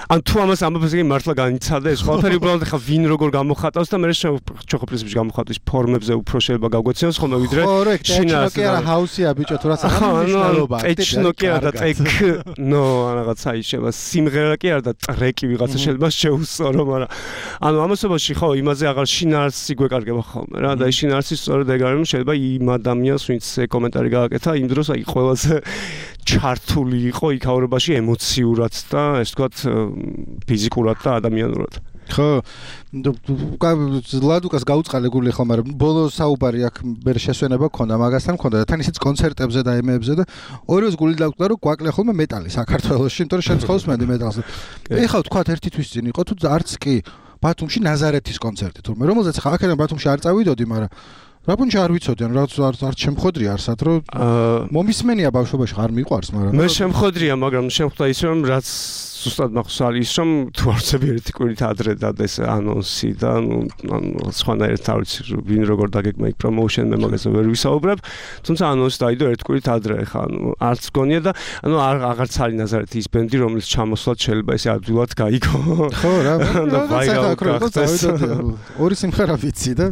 Speaker 2: ან თუ ამას ამბობს იგი მართლა განიცადა ეს ყველაფერი უბრალოდ ხა ვინ როგორ გამოხატავს და მე შეხო პრინციპში გამოხატვის ფორმებზე უფრო შეიძლება გავგვეცინოს ხოლმე ვიდრე
Speaker 1: შინას კი არა ჰაუსია ბიჭო თუ რაც აღნიშნულობა
Speaker 2: ტექნო კი არა და ტექ ნო რაღაცა შეიძლება სიმღერა კი არა და ტრეკი ვიღაცა შეიძლება შეუსწორო მაგრამ ანუ ამასობაში ხო იმაზე აღარ შინაარსი გვეკარგება ხოლმე რა და შინაარსი სწორედ ეგ არის შეიძლება იმ ადამიანს ვინც კომენტარი გააკეთა იმ დროს აი ყველაზე ჩართული იყო იქაურობაში ემოციურად და ეს თქვათ ფიზიკურად და ადამიანურად.
Speaker 1: ხო, ლადუკას გაუწყალე გული ხო, მაგრამ ბოლო საუბარი აქ ვერ შესვენება ქონდა მაგასთან ქონდა და თან ისიც კონცერტებზე და ემეებზე და ორივეს გული დაგვწყდა რომ გვაკლია ხოლმე მეტალი საქართველოში, იმიტომ რომ შენ ცხავს მენდი მეტალს. ეხლა თქვა ერთი თვის წინ იყო თუ არც კი ბათუმში ნაზარეთის კონცერტი თურმე რომელზეც ხა აქედან ბათუმში არ წავიდოდი, მაგრამ რაბუნში არ ვიცოდი, ანუ რაც არ შემხოდრია არსად რომ მომისმენია ბავშვობაში არ მიყვარს, მაგრამ
Speaker 2: მე შემხოდრია, მაგრამ შემხვდა ის რომ რაც ზუსტად მახსოვს არის ის რომ თუ არცები ერთი კვირით ადრე დადეს ანონსი და ანუ ანუ სხვანაირად არ ვიცი ვინ როგორ დაგეგმა იქ პრომოუშენ მე მაგაზე ვერ ვისაუბრებ, თუმცა ანონსი დაიდო ერთი კვირით ადრე ხა ანუ არც გონია და ანუ აღარც არის ნაზარეთი ის ბენდი რომელიც ჩამოსვლად შეიძლება ესე ადვილად გაიგო.
Speaker 1: ხო რა,
Speaker 2: და ვაირალ გახდეს.
Speaker 1: ორი სიმღერა ვიცი და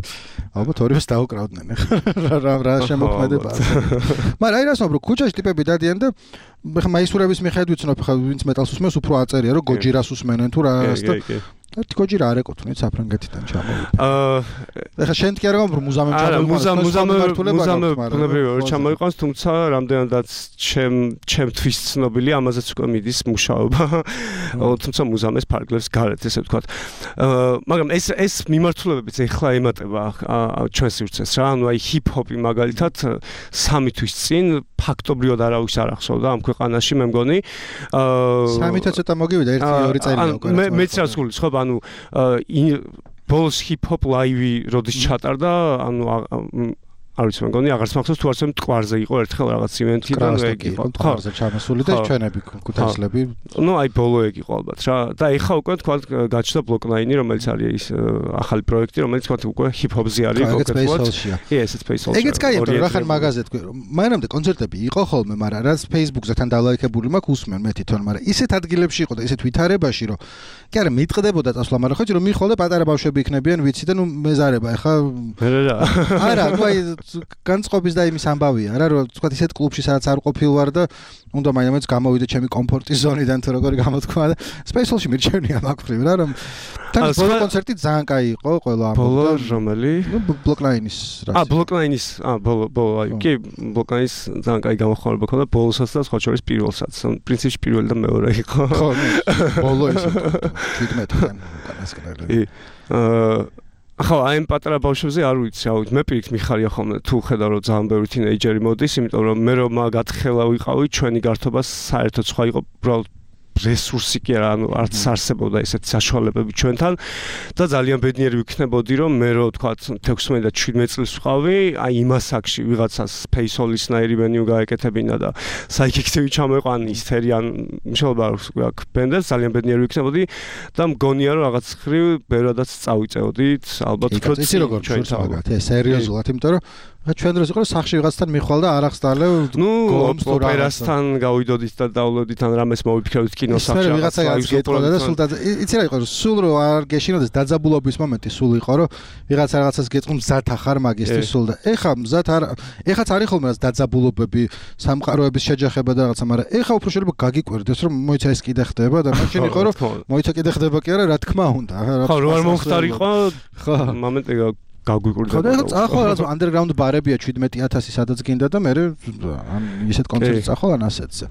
Speaker 1: ალბათ ორივეს დაუკრავდნენ ხა რა რა შემოქმედება. მაგრამ აი რას ვამბობ, ქუჩაში ტიპები დადიან და ხა მაისურების მიხედვით ვცნობ ხა ვინც მეტალს უსმენს უფრო აწერია რომ გოჯირას უსმენენ თუ რას და ერთი გოჯირა არ ეკუთვნით საფრანგეთიდან ჩამოვიდა. აა ეხა შენ კი არ გამბრო მუზამემ ჩამოვიდა.
Speaker 2: მუზამ მუზამ მუზამ ბუნებრივად ჩამოიყვანს, თუმცა რამდენადაც ჩემ ჩემთვის ცნობილი ამაზეც უკვე მიდის მუშაობა. თუმცა მუზამეს ფარგლებს გარეთ ესე ვთქვათ. აა მაგრამ ეს ეს მიმართულებებიც ეხლა ემატება ჩვენს სივრცეს რა. ანუ აი ჰიპ-ჰოპი მაგალითად სამი თვის წინ ფაქტობრივად არავის არ ახსოვდა ამ ქვეყანაში მე მგონი.
Speaker 1: აა სამი თვის ცოტა მოგივიდა ერთი ორი წელია უკვე.
Speaker 2: მე მეც რას გულის ხო ანუ ბოლოს ჰიპ-ჰოპ ლაივი როდის ჩატარდა ანუ არ ვიცი მეგონი აღარც მახსოვს თუ არცემ მტკვარზე იყო ერთხელ რაღაც ივენთი და ეგ იყო
Speaker 1: მტკვარზე ჩამოსული და ჩვენები ქუთაისლები
Speaker 2: ნუ აი ბოლო ეგ იყო ალბათ რა და ეხა უკვე თქვა გაჩნდა ბლოკნაინი რომელიც არის ის ახალი პროექტი რომელიც თქვა უკვე ჰიპ-ჰოპზე არის
Speaker 1: კონკრეტულად
Speaker 2: კი ესეც ფეისბუქში
Speaker 1: ეგეც კაია რა ხან მაგაზე თქვი მანამდე კონცერტები იყო ხოლმე მაგრამ რაც ფეისბუქზე თან დალაიქებული მაქვს უსმენ მე თვითონ მაგრამ ისეთ ადგილებში იყო და ისეთ ვითარებაში რომ კი არა მიტყდებოდა წასვლა მაგრამ ხო რომ მიხოლე პატარა ბავშვები იქნებიან ვიცი და ნუ მეზარება ეხა არა თქვა განწყობის და იმის ამბავია რა რომ თქვა ისეთ კლუბში სადაც არ ყოფილ ვარ და უნდა მაინც გამოვიდე ჩემი კომფორტის ზონიდან თუ როგორი გამოთქვა და სპეციალში მირჩენია მაგფრივ რა რომ თან ბოლო კონცერტი ძალიან კაი იყო ყველა ამ
Speaker 2: ბოლო რომელი
Speaker 1: ნუ ბლოკლაინის რა
Speaker 2: ა ბლოკლაინის ა ბოლო ბოლო აი კი ბლოკლაინის ძალიან კაი გამოხმაურება ქონდა ბოლოსაც და სხვა შორის პირველსაც პრინციპში პირველი და მეორე იყო
Speaker 1: ხო ბოლო ის შვიდმეტიდან უკანასკნელი
Speaker 2: აა ახლა აი ამ პატარა ბავშვებზე არ ვიცი, რა ვიცი, მე პირიქით მიხარია ხოლმე თუ ხედავ რომ ძალიან ბევრი თინეიჯერი მოდის, იმიტომ რომ მე რომ გათხოვა ვიყავი, ჩვენი გართობა საერთოდ სხვა იყო, უბრალოდ რესურსი კი არა, ანუ არც არსებობდა ესეთი საშუალებები ჩვენთან და ძალიან ბედნიერი ვიქნებოდი რომ მე რო თქვა თექვსმეტი და შვიდმეტი წლის ვყავი, აი იმ ასაკში ვიღაცას ფეისოლის-ნაირი მენიუ გაეკეთებინა და საიქექცევი ჩამოეყვან ისთერი ან მშობა აქვს ბენდებს ძალიან ბედნიერი ვიქნებოდი და მგონია რომ რაღაც ხრივ ბევრადაც წავიწეოდით, ალბათ უფრო
Speaker 1: იცი როგორ ჩვენს მაგათ, ეს სერიოზულად, იმიტომ რომ რა ჩვენ დროს იყო სახში ვიღაცთან მიხვალ და არ ახსნალე
Speaker 2: ნუ ოპერასთან გავიდოდით და დავლოდით ან რამეს მოვიფიქრებთ კინოსახში
Speaker 1: რაღაცა გეტყოდა და სულ იცი რა იყო სულ რო არ გეშინოდეს დაძაბულობის მომენტი სულ იყო რომ ვიღაცა რაღაცას გეტყვი მზად ახარ მაგისტრის სულ და ეხა მზად არ ეხაც არის ხოლმე რაღაც დაძაბულობები სამყაროების შეჯახება და რაღაცა მაგრამ ეხა უფრო შეიძლება გაგიკვირდეს რომ მოიცა ეს კიდე ხდება და მაშინ იყო რომ მოიცა კიდე ხდება კი არა რა თქმა უნდა
Speaker 2: ხო რო არ მომხდარიყო ხო მომენტი გაგვიკვირდა.
Speaker 1: ხო და წახო რაღაც underground ბარებია შვიდმეტი ათასი სადაც გინდა და მე ან ისეთ კონცერტს წახო ან ასეთზე.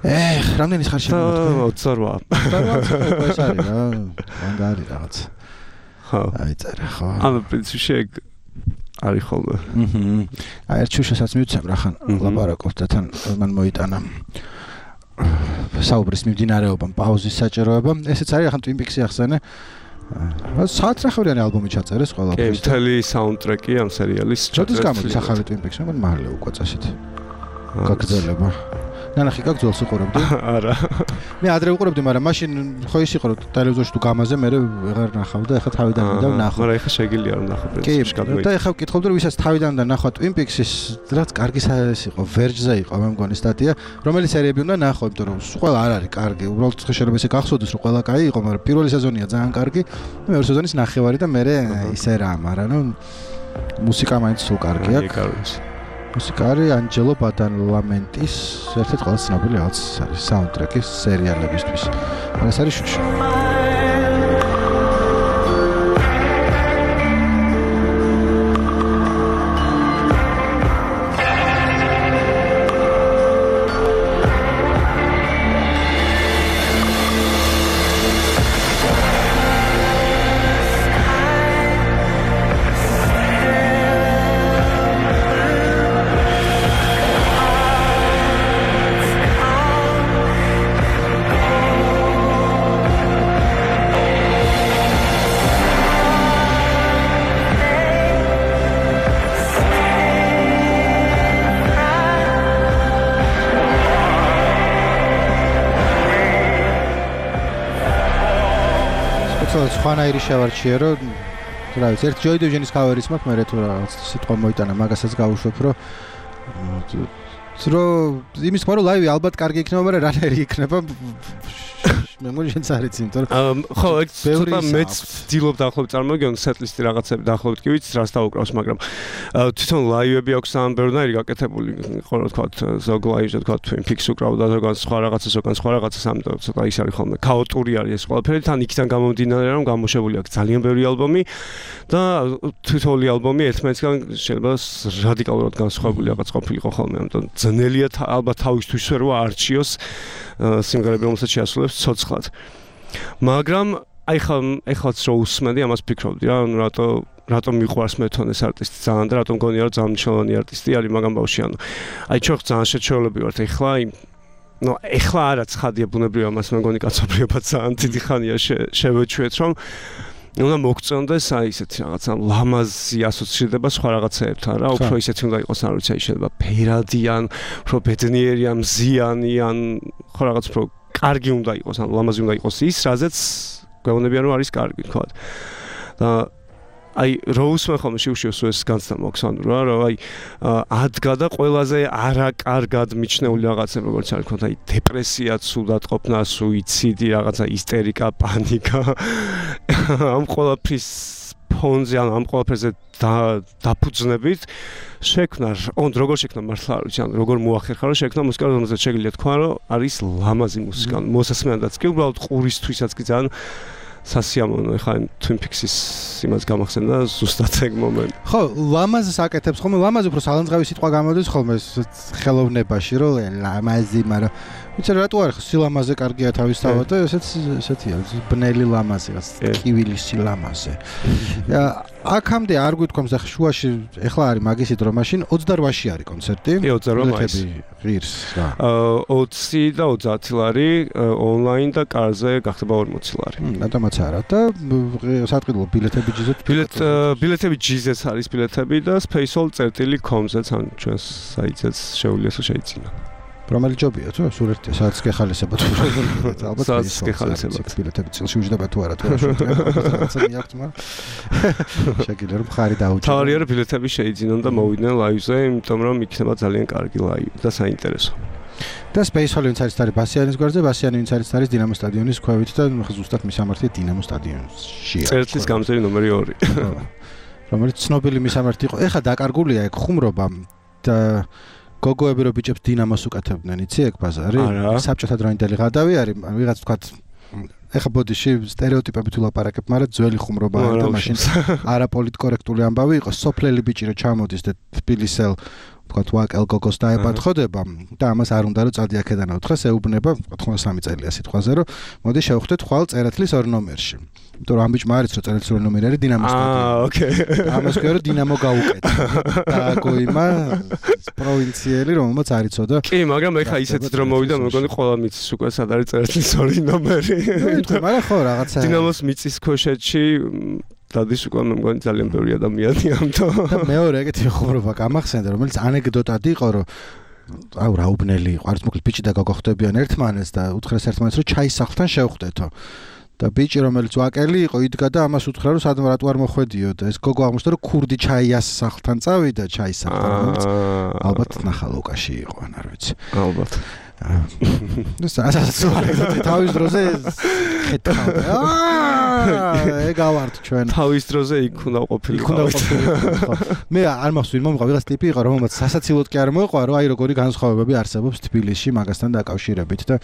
Speaker 1: ეხ, რამდენი ხარ შემოვთქვი?
Speaker 2: ოცი რვა.
Speaker 1: ეს არის რა, მანდ არის რაღაც.
Speaker 2: ხო.
Speaker 1: აი წერა ხო.
Speaker 2: ანუ პრინციპში ეგ არის ხოლმე.
Speaker 1: აჰა. აი ერთ შუშასაც მივცემ რა ხან ლაპარაკობ და თან მან მოიტანა საუბრის მიმდინარეობამ, პაუზის საჭიროებამ. ესეც არის ახან Twin Peaks-ი ახსენე. საათნახევრიანი ალბომი ჩაწერეს ყველაფერს.
Speaker 2: კი, მთელი საუნდტრეკი ამ სერიალის
Speaker 1: ჩაწერეს. გამოდის ახალი Twin Peaks-ი, მაგრამ მალე უკვე წასით. გაგრძელება. ნანახი გაქვს ძველს უყურებდი?
Speaker 2: არა.
Speaker 1: მე ადრე უყურებდი, მაგრამ მაშინ ხო ის იყო რომ ტელევიზორში თუ გამაზე მე ვეღარ ნახავ და ეხლა თავიდან მინდა ვნახო.
Speaker 2: მაგრამ ეხლა შეგიძლია რომ ნახო პრინციპში
Speaker 1: გადმოიჭრა. და ეხლა ვკითხავდი რომ ვისაც თავიდან და ნახვა Twin Peaks-ის რაც კარგი ეს იყო, Verge-ზე იყო მე მგონი სტატია, რომელი სერიები უნდა ნახო, იმიტომ რომ ყველა არ არის კარგი. უბრალოდ შეიძლება ესე გახსოვდეს რომ ყველა კაი იყო, მაგრამ პირველი სეზონია ძალიან კარგი. მეორე სეზონის ნახევარი და მე ისე რა, მაგრამ ნუ მუსიკა მაინც სულ კარგი აქვს. მუსიკა არის ანჯელო ბადალამენტის ერთ-ერთი ყველაზე ცნობილი რაღაც არის საუნდტრეკი სერიალებისთვის. მაგრამ ეს არის შუში. სხვანაირი შევარჩიე რომ რა ვიცი ერთ ჯოი დივიჟენის კავერის მაქვს მე თუ რაღაც სიტყვა მოიტანა მაგასაც გავუშვებ რომ რომ იმის თქმა რომ ლაივი ალბათ კარგი იქნება მაგრამ რანაირი იქნება მე მგონი შენც არ იცი იმიტომ რომ
Speaker 2: ხო ეგ ცოტა მეც ვცდილობ დაახლოებით წარმოგიდგენ სეტლისტი რაღაცები დაახლოებით კი ვიცი რას დაუკრავს მაგრამ თვითონ ლაივები აქვს ამ ბევრნაირი გაკეთებული ხო რა თქვა ზოგ ლაივზე თქვა Twin Peaks უკრავდა ზოგან სხვა რაღაცა ზოგან სხვა რაღაცა ამიტომ ცოტა ის არის ხოლმე ქაოტური არის ეს ყველაფერი თან იქიდან გამომდინარე რომ გამოშვებული აქვს ძალიან ბევრი ალბომი და თვითონი ალბომი ერთმანეთისგან შეიძლება რადიკალურად განსხვავებული რაღაც ყოფილიყო ხოლმე ამიტომ ძნელია ალბათ თავისთვის რომ არჩიოს სიმღერები რომელსაც შეასრულებს ცოცხლად. მაგრამ აი ხა ეხლაც რო უსმენდი ამას ფიქრობდი რა ანუ რატო რატომ მიყვარს მე თვითონ ეს არტისტი ძალიან და რატომ გონია რომ ძალიან მნიშვნელოვანი არტისტი არის მაგამ ბავშვი ანუ აი ჩვენ ძალიან შეჩეულები ვართ ეხლა აი ნუ ეხლა არა ცხადია ბუნებრივია მას მე მგონი კაცობრიობა ძალიან დიდი ხანია შევეჩვეთ რომ უნდა მოგწონდეს აი ესეთი რაღაცა ლამაზი ასოცირდება სხვა რაღაცაებთან რა უფრო ისეთი უნდა იყოს არ ვიცი აი შეიძლება ფერადი ან უფრო ბედნიერი ან მზიანი ან ხო რაღაც უფრო კარგი უნდა იყოს ან ლამაზი უნდა იყოს ის რაზეც გვეუბნებიან რომ არის კარგი თქვა და აი როუსმენ ხომ შევშევს ეს განცდა მოქვს ანუ რა რა აი ადგა და ყველაზე არაკარგად მიჩნეული რაღაცები როგორც არის თქვა აი დეპრესია, ცუდატყოფნა, სუიციდი, რაღაცა ისტერიკა, პანიკა ამ ყველაფრის ფონზე ან ამ ყველაფერზე დაფუძნებით შექმნა on როგორ შექმნა მართლა არ ვიცი ან როგორ მოახერხა რომ შექმნა მუსიკა რომელსაც შეგიძლია თქვა რომ არის ლამაზი მუსიკა მოსასმენადაც კი უბრალოდ ყურისთვისაც კი ძალიან სასიამოვნო ეხლა Twin Peaks-ის იმას გამახსენდა ზუსტად ეგ მომენტი.
Speaker 1: ხო, ლამაზს აკეთებს ხოლმე, ლამაზი უფრო სალანძღავი სიტყვა გამოდის ხოლმე ხელოვნებაში, რომ ლამაზი, მაგრამ ვიცი რატო არის სილამაზე კარგია თავისთავად და ესეც ესეთია, ბნელი ლამაზი, კივილის სილამაზე. აქამდე არ გვითქვამს ახლა შუაში ეხლა არის მაგისი დრო მაშინ ოცდაოთხში არის კონცერტი.
Speaker 2: კი, ოცდაოთხ მაისს.
Speaker 1: ღირს რა.
Speaker 2: ოცი და ოცდაათი ლარი ონლაინ და კარზე გახდება ორმოცი ლარი.
Speaker 1: რატომაც არა და სატყიდულო ბილეთები ჯიზეთ.
Speaker 2: ბილეთ ბილეთები ჯიზეც არის ბილეთები და spaceall წერტილი com-ზეც ან ჩვენს საიტზეც შეუძლია თუ შეიძინა. რომელი ჯობია თუ სულ ერთი საათს გეხალისება თუ ალბათ საათს გეხალისება
Speaker 1: ბილეთები წილში უჯდება თუ არა თუ რა რაღაცა მიაქვს მაგრამ შეგიძლია რომ ხარი დაუჭირო.
Speaker 2: თავარია რომ ბილეთები შეიძინონ და მოვიდნენ ლაივზე, იმიტომ რომ იქნება ძალიან კარგი ლაივი და საინტერესო.
Speaker 1: და spaceall ვინც არის არის ბასიანის გვერდზე, ბასიანი ვინც არის არის დინამო სტადიონის ქვევით და ზუსტად მისამართი დინამო სტადიონში.
Speaker 2: წერტილის გამზერი ნომერი ორი.
Speaker 1: რომელიც ცნობილი მისამართი იყო. ეხა დაკარგულია ეგ ხუმრობა და გოგოები რო ბიჭებს დინამოს უკეთებდნენ, იცი ეგ ბაზარი? საბჭოთა დროინდელი ღადავი არის, ვიღაც თქვა ეხა ბოდიში სტერეოტიპები თუ ლაპარაკებ, მაგრამ ძველი ხუმრობა არის და მაშინ არაპოლიტკორექტული ამბავი იყო, სოფლელი ბიჭი რო ჩამოდის და თბილისელ თქვათ ვაკელ გოგოს დაეპათხოდება და ამას არ უნდა რომ წადი აქედან უთხრეს ეუბნება თხმოცდამეტი წელია სიტყვაზე რომ მოდი შევხვდეთ ხვალ წერეთლის ორ ნომერში იმიტომ რომ ამ ბიჭმა არის რომ წერეთლის ორ ნომერი არის დინამოს სტადიონი
Speaker 2: აა ოკეი
Speaker 1: ამას ქვია რომ დინამო გაუკეთა და გოიმა პროვინციელი რომელმაც არ იცოდა
Speaker 2: კი მაგრამ ეხა ისეთი დრო მოვიდა მეგონი ყველა მიწის უკვე სად არის წერეთლის ორი ნომერი
Speaker 1: ეთქე მაგრამ ხო რაღაცა
Speaker 2: დინამოს მიწის ქვეშეთში დადის უკვე მე მგონი ძალიან ბევრი ადამიანი ამთო
Speaker 1: და მეორე ეგეთი ხუმრობა გამახსენდა რომელიც ანეკდოტად იყო რომ აუ რა უბნელი იყო არც მოკლედ ბიჭი და გოგო ხვდებიან ერთმანეთს და უთხრეს ერთმანეთს რომ ჩაის სახლთან შევხვდეთო და ბიჭი რომელიც ვაკელი იყო იდგა და ამას უთხრა რომ სადმე რატო არ მოხვედიო და ეს გოგო აღმოჩნდა რომ ქურდი ჩაიას სახლთან წავიდა ჩაის სახლთან რომელიც ალბათ ნახალოკაში იყო ან არ ვიცი
Speaker 2: ალბათ
Speaker 1: ეს ასაცვარი თავის დროზე ხეთქავდა აა ეგავართ ჩვენ
Speaker 2: თავის დროზე იქ უნდა ყოფილიყო
Speaker 1: მე არ მახსოვს მომღა ვიღაც ტიპი იყო რომელმაც სასაცილოდ კი არ მოეყვა რომ აი როგორი განსხვავებები არსებობს თბილისში მაგასთან დაკავშირებით და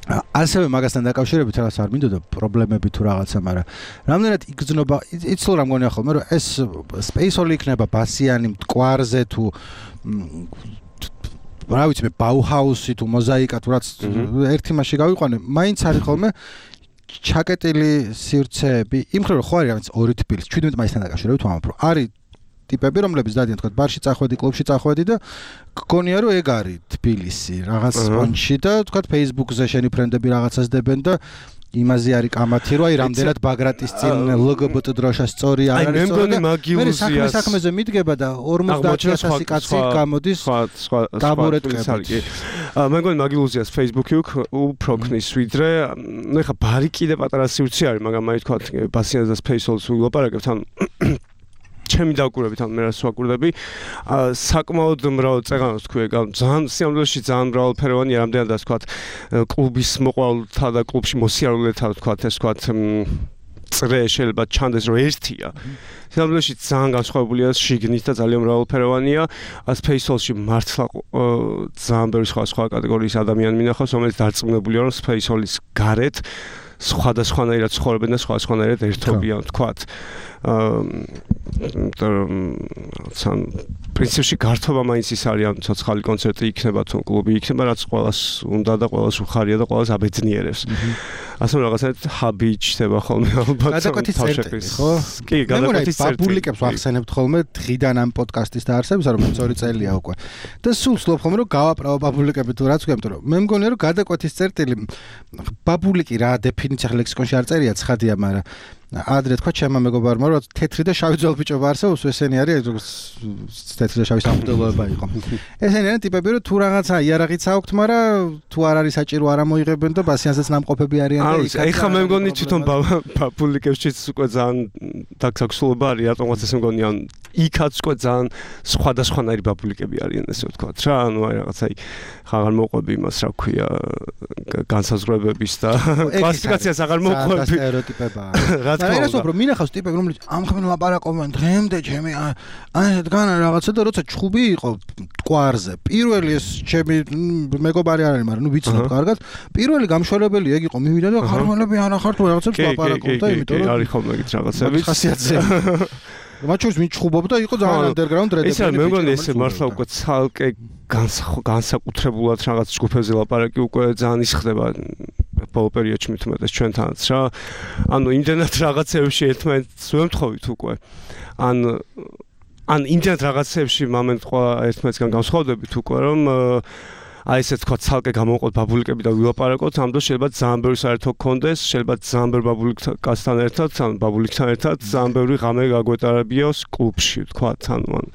Speaker 1: ასევე მაგასთან დაკავშირებით რაღაც არ მინდოდა პრობლემები თუ რაღაცა, მაგრამ რამდენად იგრძნობა იცლო რა მგონია ხოლმე რომ ეს სპეისოლი იქნება ბასიანი მტკვარზე თუ რა ვიცი მე ბაუჰაუსი თუ მოზაიკა თუ რაც ერთი მასში გავიყვანე, მაინც არის ხოლმე ჩაკეტილი სივრცეები, იმ ხრივ ხო არის რაღაც ორი თბილისი, შვიდმეტი მაისთან დაკავშირებით ვამბობ, რომ არის ტიპები, რომლებიც დადიან თქვა ბარში წახვედი, კლუბში წახვედი და გქონია რომ ეგ არის თბილისი, რაღაც სპონჯში და თქვა Facebook-ზე შენი ფრენდები რაღაცას დებენ და იმაზე არის კამათი რომ აი რამდენად ბაგრატის წინ ლგბტ დროშა სწორი არ არის სწორი. მე საქმე საქმეზე მიდგება და ორმოცდაათი ათასი კაცი გამოდის დაბურეტყებით.
Speaker 2: მე მგონი მაგილუზიას Facebook-ი უფრო ქნის ვიდრე, ნუ ეხა ბარი კიდე პატარა სივრცე არის, მაგრამ აი თქვა ბასიანს და სპეისოლს ვილაპარაკებთ ან ჩემი დაკვირვებით ან მე რას ვაკვირდები საკმაოდ მრავალ წეღანს თქვი ძალიან სიამოვნებაში ძალიან მრავალფეროვანია რამდენადაც თქვა კლუბის მოყვალთა და კლუბში მოსიარულეთა თქვა ეს თქვა წრე შეიძლება ჩანდეს რომ ერთია სიამოვნებაში ძალიან განსხვავებულია შიგნით და ძალიან მრავალფეროვანია სპეისოლში მართლა ძალიან ბევრი სხვა სხვა კატეგორიის ადამიანი მინახავს რომელიც დარწმუნებულია რომ სპეისოლის გარეთ სხვადასხვანაირად ცხოვრობენ და სხვადასხვანაირად ერთობიან თქვათ სამ პრინციპში გართობა მაინც ის არის ან ცოცხალი კონცერტი იქნება თუ კლუბი იქნება რაც ყველას უნდა და ყველას უხარია და ყველას აბედნიერებს ასე რაღაცა ჰაბი ჩდება ხოლმე ალბათ
Speaker 1: გადაკვეთის წერტილი ხო
Speaker 2: კი გადაკვეთის წერტილი
Speaker 1: პაბლიკებს ვახსენებთ ხოლმე დღიდან ამ პოდკასტის დაარსებისა რომ მეც ორი წელია უკვე და სულ ვცდილობ ხოლმე რომ გავაправო პაბლიკები თუ რაც ვქემთ რომ მე მგონია რომ გადაკვეთის წერტილი პაბლიკი რა დეფინიცია ლექსიკონში არ წერია ცხადია მაგრამ ადრე თქვა ჩემმა მეგობარმა რომ თეთრი და შავი ძვალბიჭობა არსებობს ესენი არის როგორც თეთრი და შავი სამღვდელოება იყო ესენი არის ტიპები რომ თუ რაღაცა იარაღიც აქვთ მაგრამ თუ არ არის საჭირო არ ამოიღებენ და ბასიანსაც ნამყოფები არიან და
Speaker 2: იქ ეხა მე მგონი თვითონ პაბლიკებშიც უკვე ძალიან დაგსაქსულობა არის რატომაც ეს მგონი ან იქაც უკვე ძალიან სხვადასხვანაირი პაბლიკები არიან ესე ვთქვათ რა ანუ აი რაღაცა აღარ მოყვები იმას რა ქვია განსაზღვრებების და კლასიფიკაციას აღარ მოყვები
Speaker 1: სტერეოტიპებაა და ეს უფრო მინახავს ტიპები რომელიც ამხმენ ლაპარაკობენ დღემდე ჩემი აი დგან რაღაცა და როცა ჩხუბი იყო მტკვარზე პირველი ეს ჩემი მეგობარი არ არის მაგრამ ნუ ვიცნობ კარგად პირველი გამშველებელი ეგ იყო მივიდა და ხარმელები არ ახართ რაღაცებს ლაპარაკობდა იმიტომ რომ
Speaker 2: არის ხოლმე ეგეთ რაღაცები
Speaker 1: ხასიათზე მაჩურს ვინ ჩხუბობდა იყო ძალიან ანდერგრაუნდ რედები
Speaker 2: ეს არის მე მგონი ესე მართლა უკვე ცალკე განსაკუთრებულად რაღაც ჯგუფებზე ლაპარაკი უკვე ძალიან ისხდება ბოლო პერიოდში მithumetes ჩვენთანაც რა ანუ იმდენად რაღაცებში ერთმანეთს ვემთხოვით უკვე ან ან იმდენად რაღაცებში მომენტ ყველა ერთმანეთსგან განსხვავდებით უკვე რომ აი ესე თქვა ცალკე გამოვყოთ ბაბულიკები და ვილაპარაკოთ ამ დროს შეიძლება ძალიან ბევრი საერთო გქონდეს შეიძლება ძალიან ბევრი ბაბულიკთან ერთად ან ბაბულიკთან ერთად ძალიან ბევრი ღამე გაგვეტარებიოს კლუბში თქვა თან მან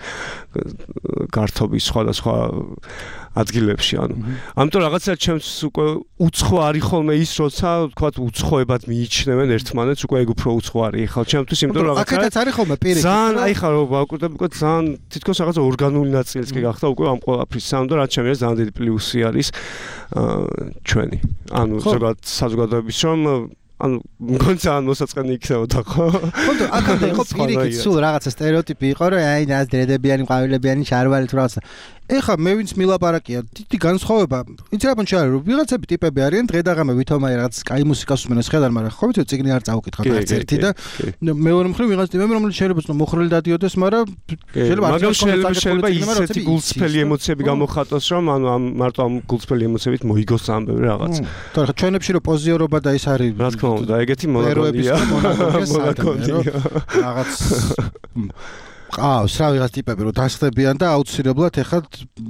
Speaker 2: გართობის სხვადასხვა ადგილებში ანუ ამიტომ რაღაცა ჩემს უკვე უცხო არის ხოლმე ის როცა თქვა უცხოებად მიიჩნევენ ერთმანეთს უკვე ეგ უფრო უცხო არის ხალ ჩემთვის იმიტომ რომ რაღაცა
Speaker 1: აქეთაც არის ხოლმე პირიქით
Speaker 2: ძალიან აი ხარ ვაკვირდები უკვე ძალიან თითქოს რაღაცა ორგანული ნაწილიც კი გახდა უკვე ამ ყველაფრის ამიტომ რაც ჩემი ძალიან დიდი პლუსი არის ჩვენი ანუ ზოგადად საზოგადოების რომ ანუ მგონი ძალიან მოსაწყენი იქნებოდა ხო?
Speaker 1: ხონდ აქამდე იყო პირიქით სულ რაღაცა სტერეოტიპი იყო რომ აი ნას დრედებიანი ყვავილებიანი შარვალი თუ რაღაცა ეხა მე ვინც მილაპარაკია დიდი განსხვავება იცი რა პონჩი არის რომ ვიღაცები ტიპები არიან დღე-დაღამე ვითომაი რაღაც კაი მუსიკას უსმენს ხედავ მაგრამ ხო ვიცი წიგნი არ წავუკითხავ არც ერთი და მეორე მხრივ ვიღაც ტიპები რომელიც შეიძლება მოხრილი დადიოდეს მაგრამ
Speaker 2: შეიძლება შეიძლება ისეთი გულწრფელი ემოციები გამოხატოს რომ ანუ ამ მარტო ამ გულწრფელი ემოციებით მოიგოს ამ ბევრი რაღაც
Speaker 1: თორე ხო ჩვენებში რომ პოზიორობა და ის არის
Speaker 2: რა თქმა უნდა ეგეთი მონაკონია მონაკონია
Speaker 1: რაღაც ყავს რა ვიღაც ტიპები რომ დასხდებიან და აუცილებლად ეხლა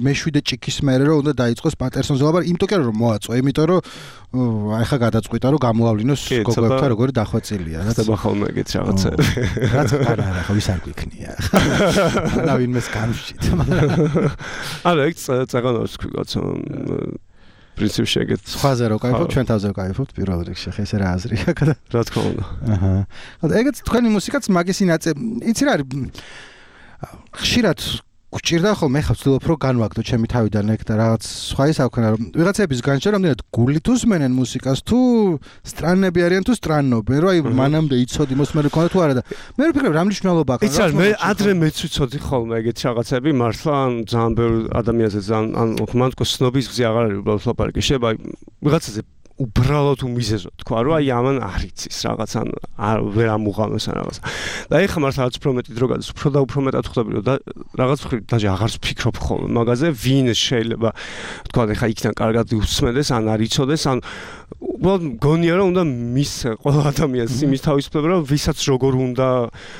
Speaker 1: მეშვიდე ჭიქის მერე რომ უნდა დაიწყოს პატერსონზე ლაპარაკი იმიტომ კი რომ მოაწვა იმიტომ რომ აი ხა გადაწყვიტა რომ გამოავლინოს გოგოებთან როგორი დახვეწილია
Speaker 2: რაც ხდება ხოლმე ეგეთ რაღაცები
Speaker 1: რაც არა არა ხო ვის არ გვიქნია რა ვინმეს განვშით
Speaker 2: არა ეგ წაღანავს თქვი პრინციპში ეგეთ
Speaker 1: სხვაზე რო кайფობ ჩვენ თავზე кайფობთ პირველ რიგში ხა ესე რა აზრია
Speaker 2: რა თქმა უნდა
Speaker 1: აჰა ეგეც თქვენი მუსიკაც მაგისი ნაწე იცი რა არის ხშირად გჭირდა ხოლმე ხა ვცდილობ რომ განვაგდო ჩემი თავიდან ეგ და რაღაც სხვა ის აქვენა რომ ვიღაცების განჭა რამდენად გულით უსმენენ მუსიკას თუ სტრანები არიან თუ სტრანნობენ რომ აი მანამდე იცოდი მოსმენი ქონდა თუ არა და მე ვფიქრებ რა მნიშვნელობა აქვს
Speaker 2: იცი მე ადრე მეც ვიცოდი ხოლმე ეგეთ რაღაცები მართლა ან ძალიან ბევრ ადამიანზე ძალიან ან მანტკო სნობის გზი აღარ არის უბრალოდ ლაპარაკი შეიძლება აი ვიღაცაზე უბრალოდ უმიზეზო თქვა რომ აი ამან არ იცის რაღაც ან ვერ ამუღამეს ან რაღაც და ეხლა მართლა რაც უფრო მეტი დრო გადის უფრო და უფრო მეტად ხვდები რომ რაღაც მხრივ დაჟე აღარც ფიქრობ ხოლმე მაგაზე ვინ შეიძლება თქვა ეხლა იქიდან კარგად უსმენდეს ან არ იცოდეს ან უბრალოდ მგონია რომ უნდა მის ყველა ადამიანს იმის თავისუფლება რომ ვისაც როგორ უნდა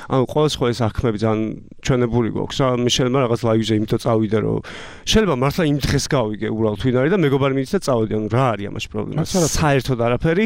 Speaker 2: ანუ ყოველს ხო ეს აღქმები ძალიან ჩვენებული გვაქვს რა მე შეიძლება რაღაც ლაივზე იმიტომ წავიდე რომ შეიძლება მართლა იმ დღეს გავიგე უბრალოდ ვინ არის და მეგობარი მიდის და წავედი ანუ რა არის ამაში პრობლემა საერთოდ არაფერი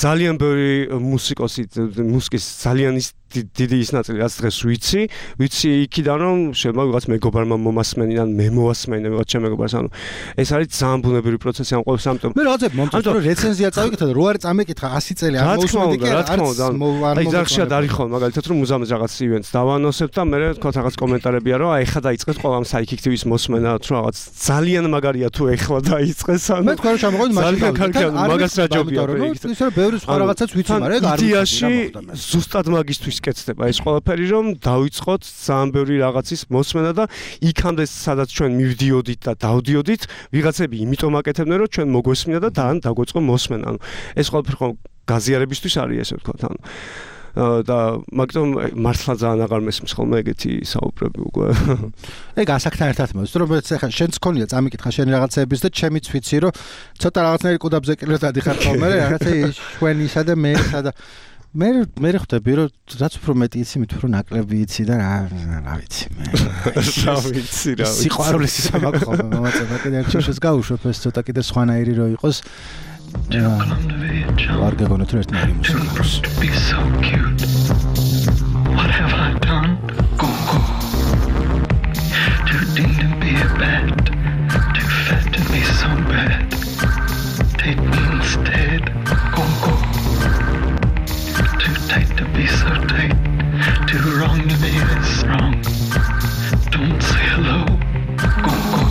Speaker 2: ძალიან ბევრი მუსიკოსი მუსიკის ძალიან ის დიდი ის ნაწილი რაც დღეს ვიცი ვიცი იქიდან რომ შეიძლება ვიღაც მეგობარმა მომასმენი ან მე მოვასმენე ვიღაც ჩემ მეგობარს ანუ ეს არის ძალიან ბუნებრივი პროცესი ამ ყოველს ამიტომ
Speaker 1: მე რაღაცა მომწონს რომ რეცენზია წავიკითხე და რო არ წამეკითხა ასი წელი არ მოусმენდი კი
Speaker 2: რა თქმა უნდა აი ზარხშად არის ხოლმე მაგალითად რომ მუზამის რაღაც ივენტს დავანოსებ და მე თქვა რაღაც კომენტარებია რომ აი ეხლა დაიწყეს ყველამ საიქიქტივის მოსმენა თუ რაღაც ძალიან მაგარია თუ ეხლა დაიწყეს ანუ
Speaker 1: მე თქვა რომ შემოგვიდი
Speaker 2: ძალიან კარგია მაგას რა ჯობია
Speaker 1: ისე რომ ბევრი სხვა რაღაცაც ვიცი მაგრამ ეგ არ
Speaker 2: ვიცი ზუსტად მაგისთვის კეთდება ეს ყველაფერი რომ დავიწყოთ ძალიან ბევრი რაღაცის მოსმენა და იქამდე სადაც ჩვენ მივდიოდით და დავდიოდით ვიღაცები იმიტომ აკეთებდნენ რომ ჩვენ მოგვესმინა და თან დაგვეწყო მოსმენა ანუ ეს ყველაფერი ხო გაზიარებისთვის არის ესე ვთქვათ ანუ და მაგიტომ მართლა ძალიან აღარ მესმის ხოლმე ეგეთი საუბრები უკვე
Speaker 1: ეგ ასაკთან ერთად მოდის რომ ეხლა შენც ქონია წამიკითხა შენი რაღაცების და ჩემიც ვიცი რომ ცოტა რაღაცნაირი ყუდაბზე კილო დადიხარ ხოლმე რაღაცა შვენისა და მესა და მე მე ხვდები რომ რაც უფრო მეტი იცი მით უფრო ნაკლები იცი და რა რა ვიცი მე
Speaker 2: რა ვიცი რა ვიცი
Speaker 1: სიყვარულის სამაკ ხოლმე მომაწევა კიდე ერთ შეშეს გავუშვებ ეს ცოტა კიდე სხვანაირი რო იყოს არ გეგონოთ რომ ერთნაირი
Speaker 3: Too tight to be so tight, too wrong to be this wrong. Don't say hello, go go.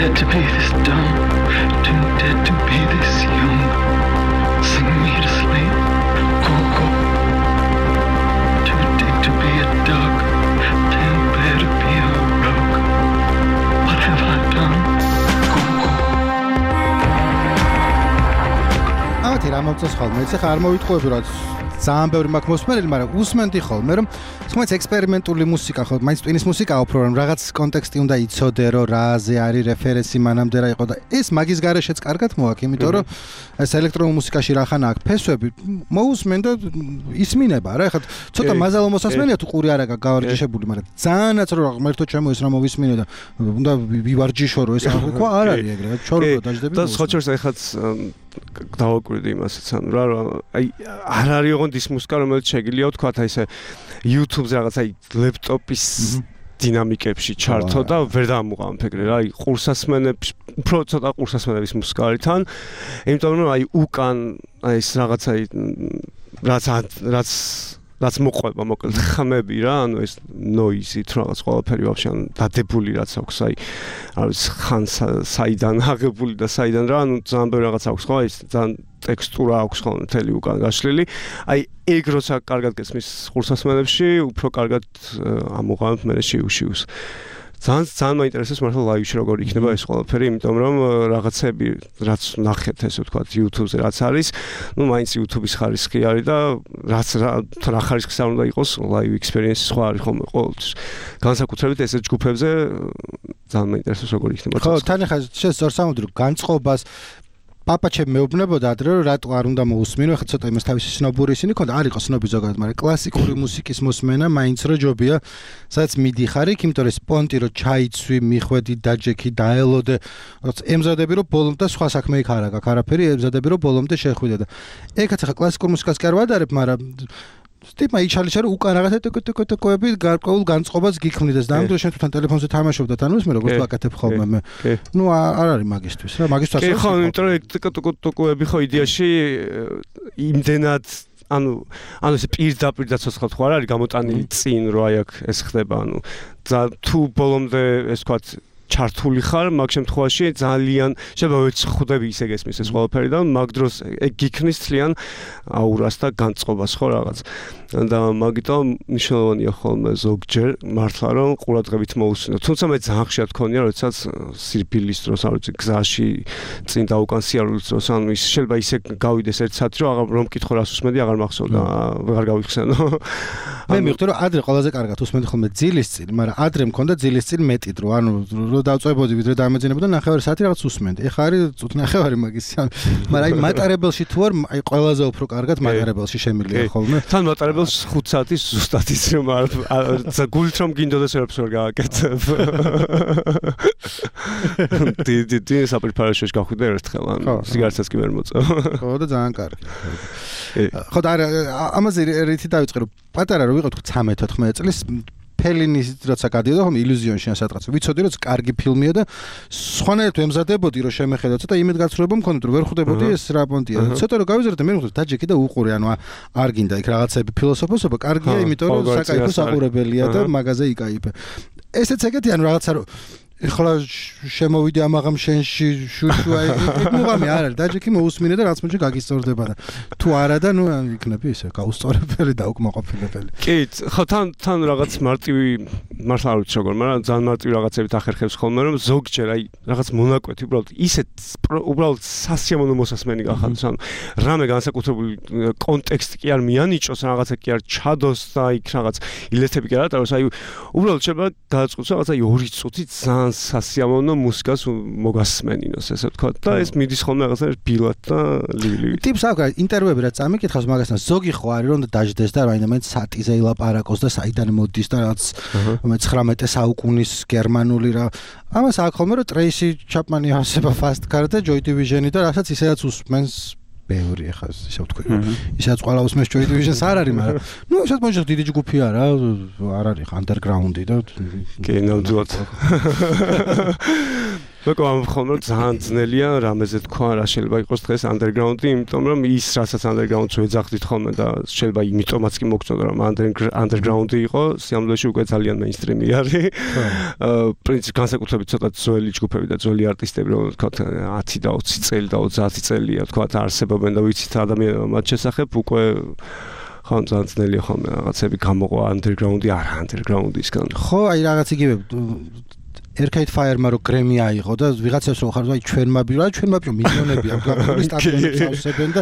Speaker 3: Dead to be this dumb, too dead to be this young. Sing me to sleep, go go. Too deep to be a dog, too bad to be a rogue. What have I done? Go go.
Speaker 1: ამათი რა მომწონს ხოლმე, ეხლა არ მოვიტყუები რა ძალიან ბევრი მაქვს მოსმენელი, მაგრამ უსმენდი ხოლმე, რომ თუმცა ექსპერიმენტული მუსიკა ხო, მაინც ტვინის მუსიკაა უფრო, რომ რაღაც კონტექსტი უნდა იცოდე, რომ რაზე არის რეფერენსი მანამდე რა იყო და ეს მაგის გარეშეც კარგად მოაქვს, იმიტომ რომ ეს ელექტრონულ მუსიკაში რახან აქვს ფესვები, მოусმენ და ისმინება რა, ეხლა ცოტა მაზალო მოსასმენია თუ ყური არა გავარჯიშებული, მაგრამ ძალიანაც რომ ღმერთო ჩემო ეს რა მოვისმინე და უნდა ვივარჯიშო რომ ეს ხო არ არის ეგრე, ჩორბო დაждები.
Speaker 2: და ხოჩერს ეხაც დავაკვირდი იმასაც ანუ რა აი არ არის ოღონდ ის მუსიკა რომელიც შეგიძლია ვთქვათ აი ესე YouTube-ზე რაღაც აი ლეპტოპის დინამიკებში ჩართო და ვერ დამუყავთ ეგრე რა აი ყურსასმენებს უფრო ცოტა ყურსასმენების მუსიკა არის თან იმიტომ რომ აი უკან აი ეს რაღაც აი რაც რაც რაც მოყვება მოკლედ ხმები რა ანუ ეს noise-ით რაღაც ყველაფერი ვაფშე ანუ დადებული რაც აქვს აი არის ხან საიდან აღებული და საიდან რა ანუ ძალიან ბევრი რაღაც აქვს ხო აი ძალიან ტექსტურა აქვს ხო მთელი უკან გაშლილი აი ეგ როცა კარგად გესმის ყურსასმენებში უფრო კარგად ამოღავთ მე შიუშიუს ძალიან ძალიან მაინტერესებს მართლა ლაივში როგორ იქნება ეს ყველაფერი, იმიტომ რომ რაღაცები რაც ნახეთ ესე ვთქვათ YouTube-ზე რაც არის, ну მაინც YouTube-ის ხარისხი არის და რაც რა ხარისხის არ უნდა იყოს live experience სხვა არის ხოლმე ყოველთვის. განსაკუთრებით ესე ჯგუფებზე ძალიან მაინტერესებს როგორ იქნება.
Speaker 1: ხო, თან ახლა შესწორ სამუდრო განწყობას პაპაჩე მეუბნებოდა ადრე რომ რატო არ უნდა მოусმინო, ახლა ცოტა იმას თავისი სნობური ისინი ქონდა, არ იყო სნობი ზოგადად, მაგრამ კლასიკური მუსიკის მოსმენა მაინც რო ჯობია, სადაც მიდიხარ იქ, იმიტომ რომ სპონტი რო ჩაიცვი, მიხვედი, დაჯექი, დაელოდე, ემზადები რომ ბოლომდე სხვა საქმე იქ არ აქვს, არაფერი ემზადები რომ ბოლომდე შეხვიდე და ეგაც ახლა კლასიკურ მუსიკას კი არ ვადარებ, მაგრამ სტიპმა იჩალიჩა რომ უკან რაღაცა ტოკ-ტოკ-ტოკები გარკვეულ განწყობას გიქმნიდეს და ამ დროს შენ თვითონ ტელეფონზე თამაშობდა თან ის მე როგორც ვაკეთებ ხოლმე მე ნუ არ არის მაგისტვის რა მაგისტვას
Speaker 2: კი ხო იმიტომ რომ ტოკ-ტოკ-ტოკები ხო იდეაში იმდენად ანუ ანუ ეს პირდაპირ დაცოცხლად ხო არ არის გამოტანილი წინ რო აი აქ ეს ხდება ანუ თუ ბოლომდე ეს თქვა ჩართული ხარ მაგ შემთხვევაში ძალიან შეიძლება ვეცხვდები ისე გესმის ეს ყველაფერი და მაგ დროს ეგ გიქნის თლიან აურას და განწყობას ხო რაღაც და მაგიტომ მნიშვნელოვანია ხოლმე ზოგჯერ მართლა რომ ყურადღებით მოусმინო თუმცა მე ძალიან ხშირად გქონია როდესაც სირბილის დროს არ ვიცი გზაში წინ და უკან სიარულის დროს ანუ ის შეიძლება ისე გავიდეს ერთ საათი რომ აღარ რომ მკითხო რას უსმენდი აღარ მახსოვდა ვეღარ გავიხსენო
Speaker 1: მე მივხვდი რომ ადრე ყველაზე კარგად უსმენდი ხოლმე ძილის წინ მაგრამ ადრე მქონდა ძილის წინ მეტი დრო ანუ დავწვებოდი ვიდრე დამეძინებოდა ნახევარი საათი რაღაც უსმენდი. ეხლა არის წუთ ნახევარი მაგის. მაგრამ აი მატარებელში თუ არ აი ყველაზე უფრო კარგად მატარებელში შემილია ხოლმე.
Speaker 2: თან მატარებელს ხუთ საათის ზუსტად ის რომ არ გულით რომ გინდოდეს ერებს ვერ გააკეთებ. დი დი დი საპრეპარაციაშ გახვიდე ერთხელ ან სიგარეტსაც კი ვერ მოწევ.
Speaker 1: ხო და ძალიან კარგი. ხო და ამაზე რითი დავიწყე რომ პატარა რომ ვიყოთ ცხრამეტ ოთხმეტ წლის ფელინის როცა გადიოდა ხომ ილუზიონში ან სადღაც ვიცოდი რომ კარგი ფილმია და სხვანაირად ემზადებოდი რომ შემეხედა ცოტა იმედგაცრუება მქონდა რომ ვერ ხვდებოდი ეს რა პონტია ცოტა რომ გავიზარდე მე მიხდით დაჯექი და უყურე ანუ არ გინდა იქ რაღაცები ფილოსოფოსობა კარგია იმიტომ რომ საკაიფო საყურებელია და მაგაზე იკაიფე ესეც ეგეთი ანუ რაღაცა რომ ეხლა შემოვიდე ამაღამ შენში შუშუა ეგ მუღამი არ არის დაჯექი მოусმინე და რაც მოჭი გაგისწორდება და თუ არა და ნუ იქნები ისე გაუსწორებელი და უკმაყოფილებელი
Speaker 2: კი ხო თან თან რაღაც მარტივი მართლა არ ვიცი როგორ მაგრამ ძალიან მარტივი რაღაცებით ახერხებს ხოლმე რომ ზოგჯერ აი რაღაც მონაკვეთი უბრალოდ ისეთ უბრალოდ სასიამოვნო მოსასმენი გახადოს ანუ რამე განსაკუთრებული კონტექსტი კი არ მიანიჭოს რაღაცა კი არ ჩადოს და იქ რაღაც ილეთები კი არ ატაროს აი უბრალოდ შეიძლება გადაწყვეტოს რაღაც აი ორი წუთი ძალიან სასიამოვნო მუსიკას მოგასმენინოს ესე ვთქვა და ეს მიდის ხოლმე რაღაცა ბილად და ლივ-ლივით.
Speaker 1: ტიპს აქვს ინტერვიუები რაც წამიკითხავს მაგასთან ზოგი ხო არის რომ დაждდეს და რაინდამე სატიზე ილაპარაკოს და საიდან მოდის და რაც მეცხრამეტე საუკუნის გერმანული რა ამას აქვს ხოლმე რომ ტრეისი ჩაპმანი ასება ფასტ კარ და ჯოი დივიჟენი და რასაც ისედაც უსმენს ბევრი ახლა ისე ვთქვი ისაც ყველა უსმენს ჯოი დივიჟენს არ არის მაგრამ ნუ ისეთ მოიჭრა დიდი ჯგუფი არა არ არის ანდერგრაუნდი და
Speaker 2: კი ნამდვილად მოკო ამ ხოლმე ძალიან ძნელია რამეზე თქვა რა შეიძლება იყოს დღეს ანდერგრაუნდი იმიტომ რომ ის რასაც ანდერგრაუნდს ვეძახდით ხოლმე და შეიძლება იმიტომაც კი მოგწონდა რომ ანდერგრაუნდი იყო სიამოვნებაში უკვე ძალიან მეინსტრიმი არის პრინციპ განსაკუთრებით ცოტა ძველი ჯგუფები და ძველი არტისტები რომ თქვა ათი და ოცი წელი და ოცდაათი წელია თქვა არსებობენ და ვიცით ადამიანებმა მათ შესახებ უკვე ხან ძალიან ძნელია ხოლმე რაღაცები გამოყვა ანდერგრაუნდი არა ანდერგრაუნდისგან
Speaker 1: ხო აი რაღაც იგივე Arcade Fire-მა რო გრემი აიღო და ვიღაცებს რო ხარ აი ჩვენმა ბირო, ჩვენმა ბირო მილიონები აქვს გაფრთხილი სტადიონებს ავსებენ და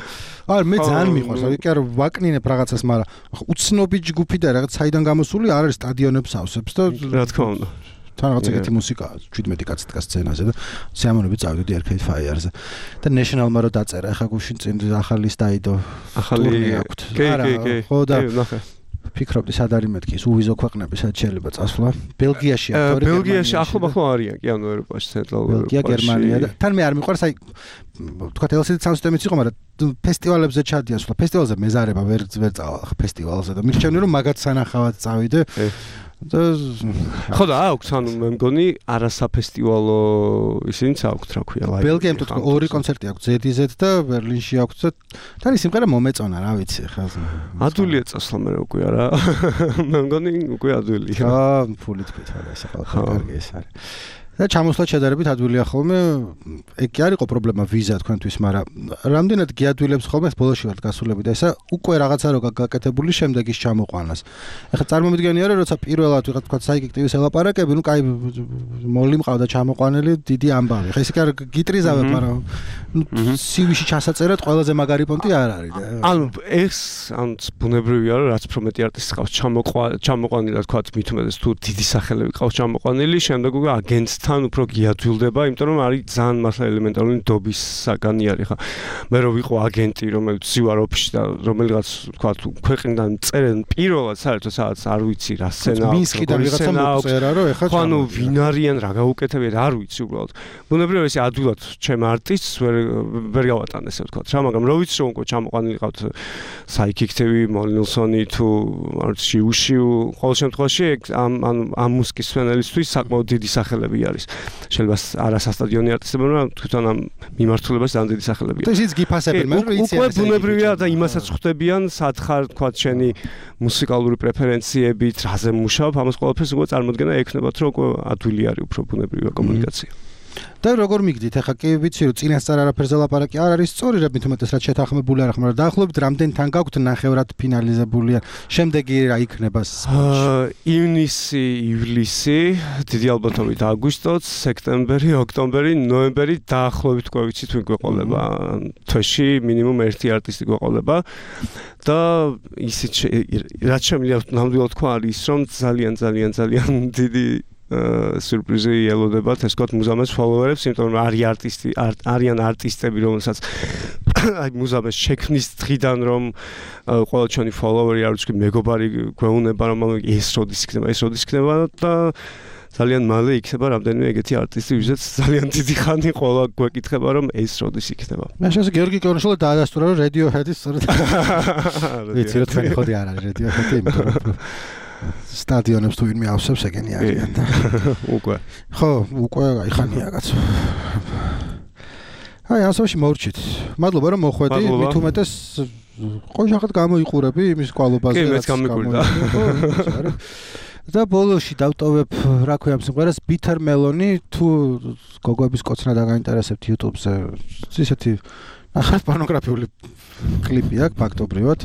Speaker 1: არ მე ძალიან მიყვარს, აი კი არა ვაკნინებ რაღაცას, მაგრამ უცნობი ჯგუფი და რაღაც საიდან გამოსული არ არის სტადიონებს ავსებს და
Speaker 2: რა თქმა უნდა.
Speaker 1: თან რაღაც ეგეთი მუსიკაა, შვიდმეტი კაცი დგას სცენაზე და სიამოვნებით წავიდოდი Arcade Fire-ზე. და National-მა რო დაწერა, ახლა გუშინ წინ ახალი სტაიდო
Speaker 2: ახალი
Speaker 1: აქვს.
Speaker 2: კი კი კი.
Speaker 1: ხო და
Speaker 2: ნახე.
Speaker 1: ფიქრობდი სად არის მეთქი, უვიზო ქვეყნები სად შეიძლება წასვლა. ბელგიაში აქ
Speaker 2: ბელგიაში ახლო-ახლო არიან კი ანუ ევროპაში, ცენტრალურ ევროპაში.
Speaker 1: ბელგია, გერმანია და თან მე არ მიყვარს აი თქვა ელ სი დი Sound System-იც იყო, მაგრამ ფესტივალებზე ჩადიან სულ. ფესტივალზე მეზარება ვერ ვერ წავალ ფესტივალზე და მირჩენდი რომ მაგათ სანახავად წავიდე. და
Speaker 2: ხო და აქვს ანუ მე მგონი არასაფესტივალო ისინიც აქვს რა ქვია ლაივი.
Speaker 1: ბელგიამ თუ თქვა ორი კონცერტი აქვს ზედ ი ზედ და ბერლინში აქვს და თან ის სიმღერა მომეწონა რა ვიცი ხა.
Speaker 2: ადვილია წასვლა მე უკვე არა. მე მგონი უკვე ადვილია.
Speaker 1: აა ფული თქვით არა ეს ახლა კარგი ეს არის. და ჩამოსვლა შედარებით ადვილია ხოლმე. ეგ კი არისო პრობლემა ვიზა თქვენთვის, მაგრამ რამდენად გიადვილებს ხოლმე ბოლოში ვარ გასულები და ესა უკვე რაღაცა რო გაკეთებული შემდეგ ის ჩამოყვანას. ეხლა წარმომიდგენია რომ როცა პირველად ვიღაც თქვა საიკექტივის ელაპარაკები, ნუ კაი მოლი მყავდა ჩამოყვანილი დიდი ამბავი. ხა ისე კი არ გიტრიზავებ, მაგრამ ნუ სი ვიში ჩასაწერად ყველაზე მაგარი პონტი არ არის და
Speaker 2: ანუ ეს ან ბუნებრივია რომ რაც უფრო მეტი არტისტი ყავს ჩამოყვანილი რა თქვა მით უმეტეს თუ დიდი სახელები ყავს ჩამოყვანილი, შემდეგ უკვე აგენტს თან უფრო გიადვილდება, იმიტომ რომ არის ძალიან მართლა ელემენტარული ნდობის საგანი არის ხა. მე რო ვიყო აგენტი, რომელიც ვარ ოფისში და რომელიღაც თქვა თუ ქვეყნიდან წერენ პირველად საერთოდ სადაც არ ვიცი რა სცენა აქვს,
Speaker 1: მინსკიდან ვიღაცა მოწერა რომ ეხა
Speaker 2: ანუ ვინ არიან რა გაუკეთებიათ არ ვიცი უბრალოდ. ბუნებრივია ესე ადვილად ჩემ არტისტს ვერ ვერ გავატან ესე ვთქვა რა, მაგრამ რო ვიცი რომ უკვე ჩამოყვანილი ყავთ საიკექტივი, მოლნილსონი თუ არ ვიცი უშიუ, ყოველ შემთხვევაში ამ ანუ ამ მუსიკის სცენელისთვის საკმაოდ დიდი სახელები არის. შეიძლება არასასტადიონი არტისტები, მაგრამ თვითონ ამ მიმართულებას ძალიან დიდი სახელებია.
Speaker 1: და ისიც გიფასებენ, მაგრამ იციან
Speaker 2: უკვე ბუნებრივია და იმასაც ხვდებიან, სად ხარ, თქვა შენი მუსიკალური პრეფერენციებით, რაზე მუშაობ, ამას ყველაფერს უკვე წარმოდგენა ექნებათ, რომ უკვე ადვილი არის უფრო ბუნებრივია კომუნიკაცია.
Speaker 1: და როგორ მიგდით, ახლა კი ვიცი რომ წინასწარ არაფერზე ლაპარაკი არ არის სწორი, რა მით უმეტეს რაც შეთანხმებული არ ხომ, მაგრამ დაახლოებით რამდენ თან გაქვთ ნახევრად ფინალიზებულია. შემდეგი რა იქნება სპორტში?
Speaker 2: ივნისი, ივლისი, დიდი ალბათობით აგვისტოც, სექტემბერი, ოქტომბერი, ნოემბერი დაახლოებით უკვე ვიცი თუ გვეყოლება. თვეში მინიმუმ ერთი არტისტი გვეყოლება და ისიც რაც შემიძლია ნამდვილად თქვა არის ის რომ ძალიან ძალიან ძალიან დიდი სიურპრიზი ელოდებათ ეს თქვა მუზამეს ფოლოვერებს, იმიტომ რომ არის არტისტი არიან არტისტები, რომელსაც აი მუზამეს შექმნის დღიდან რომ ყველა ჩვენი ფოლოვერი არ ვიცი მეგობარი გვეუნება რომ ეს როდის იქნება, ეს როდის იქნება და ძალიან მალე იქნება რამდენიმე ეგეთი არტისტი, ვისაც ძალიან დიდი ხანი ყველა გვეკითხება რომ ეს როდის იქნება.
Speaker 1: მე შესაძლოა გიორგი კოროშოლა დაადასტურა რომ Radiohead-ის სწორედ ვიცი რომ თქვენი ხოდი არ არის Radiohead-ი, იმიტომ რომ სტადიონებს თუ ვინმე ავსებს ეგენი არიან და
Speaker 2: უკვე
Speaker 1: ხო უკვე აი ხანია კაცო. აი ასოში მორჩით. მადლობა რომ მოხვედი, მით უმეტეს ყოჟახად გამოიყურები იმის კვალობაზე.
Speaker 2: კი მეც გამიკვირდა.
Speaker 1: და ბოლოში დავტოვებ რა ქვია ამ სიმღერას Bitter Melon-ი, თუ გოგოების კოცნა დაგაინტერესებთ YouTube-ზე. ისეთი ახალ პორნოგრაფიული კლიპი აქვს ფაქტობრივად.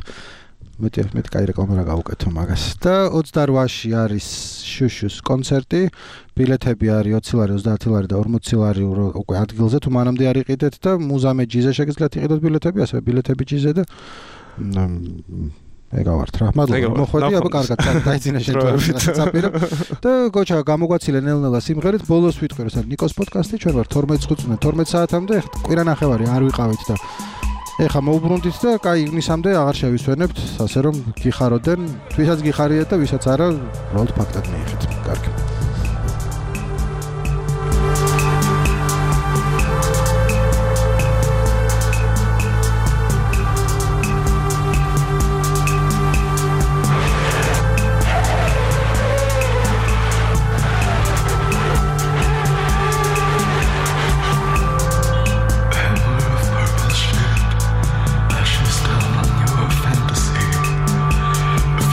Speaker 1: მეტი მეტი კაი რეკლამა რა გავუკეთო მაგას. და ოცდაოთხში არის შუშუს კონცერტი. ბილეთები არის ოცი ლარი, ოცდაათი ლარი და ორმოცი ლარი უკვე ადგილზე თუ მანამდე არ იყიდეთ და მუზამე ჯიზე შეგიძლიათ იყიდოთ ბილეთები, ასევე ბილეთები ჯიზე და ეგავართ რა. მადლობა მოხვედი, აბა კარგად დაიძინა შეთვალებით წაპირა. და გოჩა გამოგვაცილე ნელ-ნელა სიმღერით, ბოლოს ვიტყვი რომ ნიკოს პოდკასტი ჩვენ ვარ თორმეტი წუთი თორმეტი საათამდე, კვირა ნახევარი არ ვიყავით და ეხა მოუბრუნდით და კაი ივნისამდე აღარ შევისვენებთ, ასე რომ გიხაროდენ, ვისაც გიხარიეთ და ვისაც არა, უბრალოდ ფაქტად მიიღეთ. კარგი.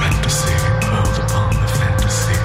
Speaker 3: Fantasy, build upon the fantasy.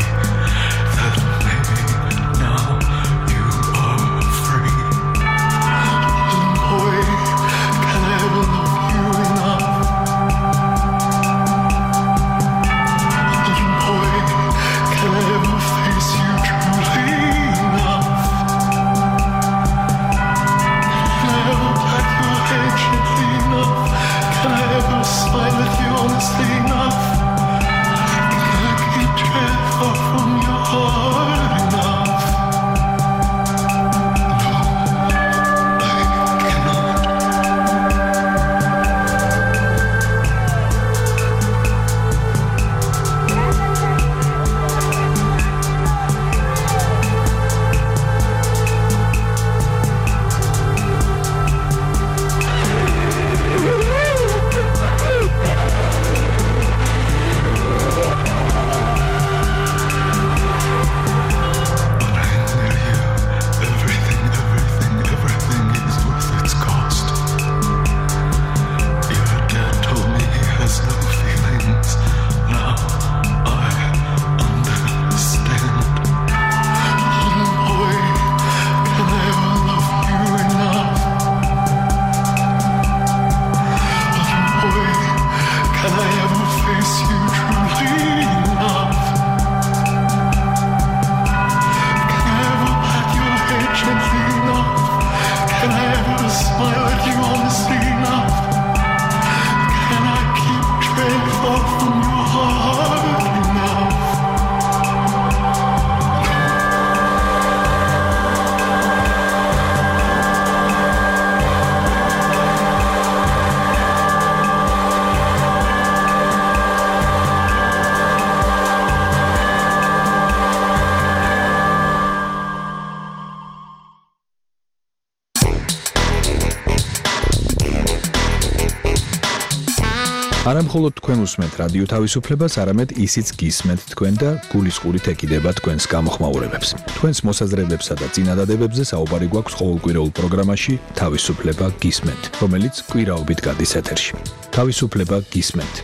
Speaker 4: არა მხოლოდ თქვენ უსმენთ რადიო თავისუფლებას, არამედ ისიც გისმენთ თქვენ და გულისყურით ეკიდება თქვენს გამოხმაურებებს. თქვენს მოსაზრებებსა და წინადადებებზე საუბარი გვაქვს ყოველკვირეულ პროგრამაში თავისუფლება გისმენთ, რომელიც კვირაობით გადის ეთერში. თავისუფლება გისმენთ.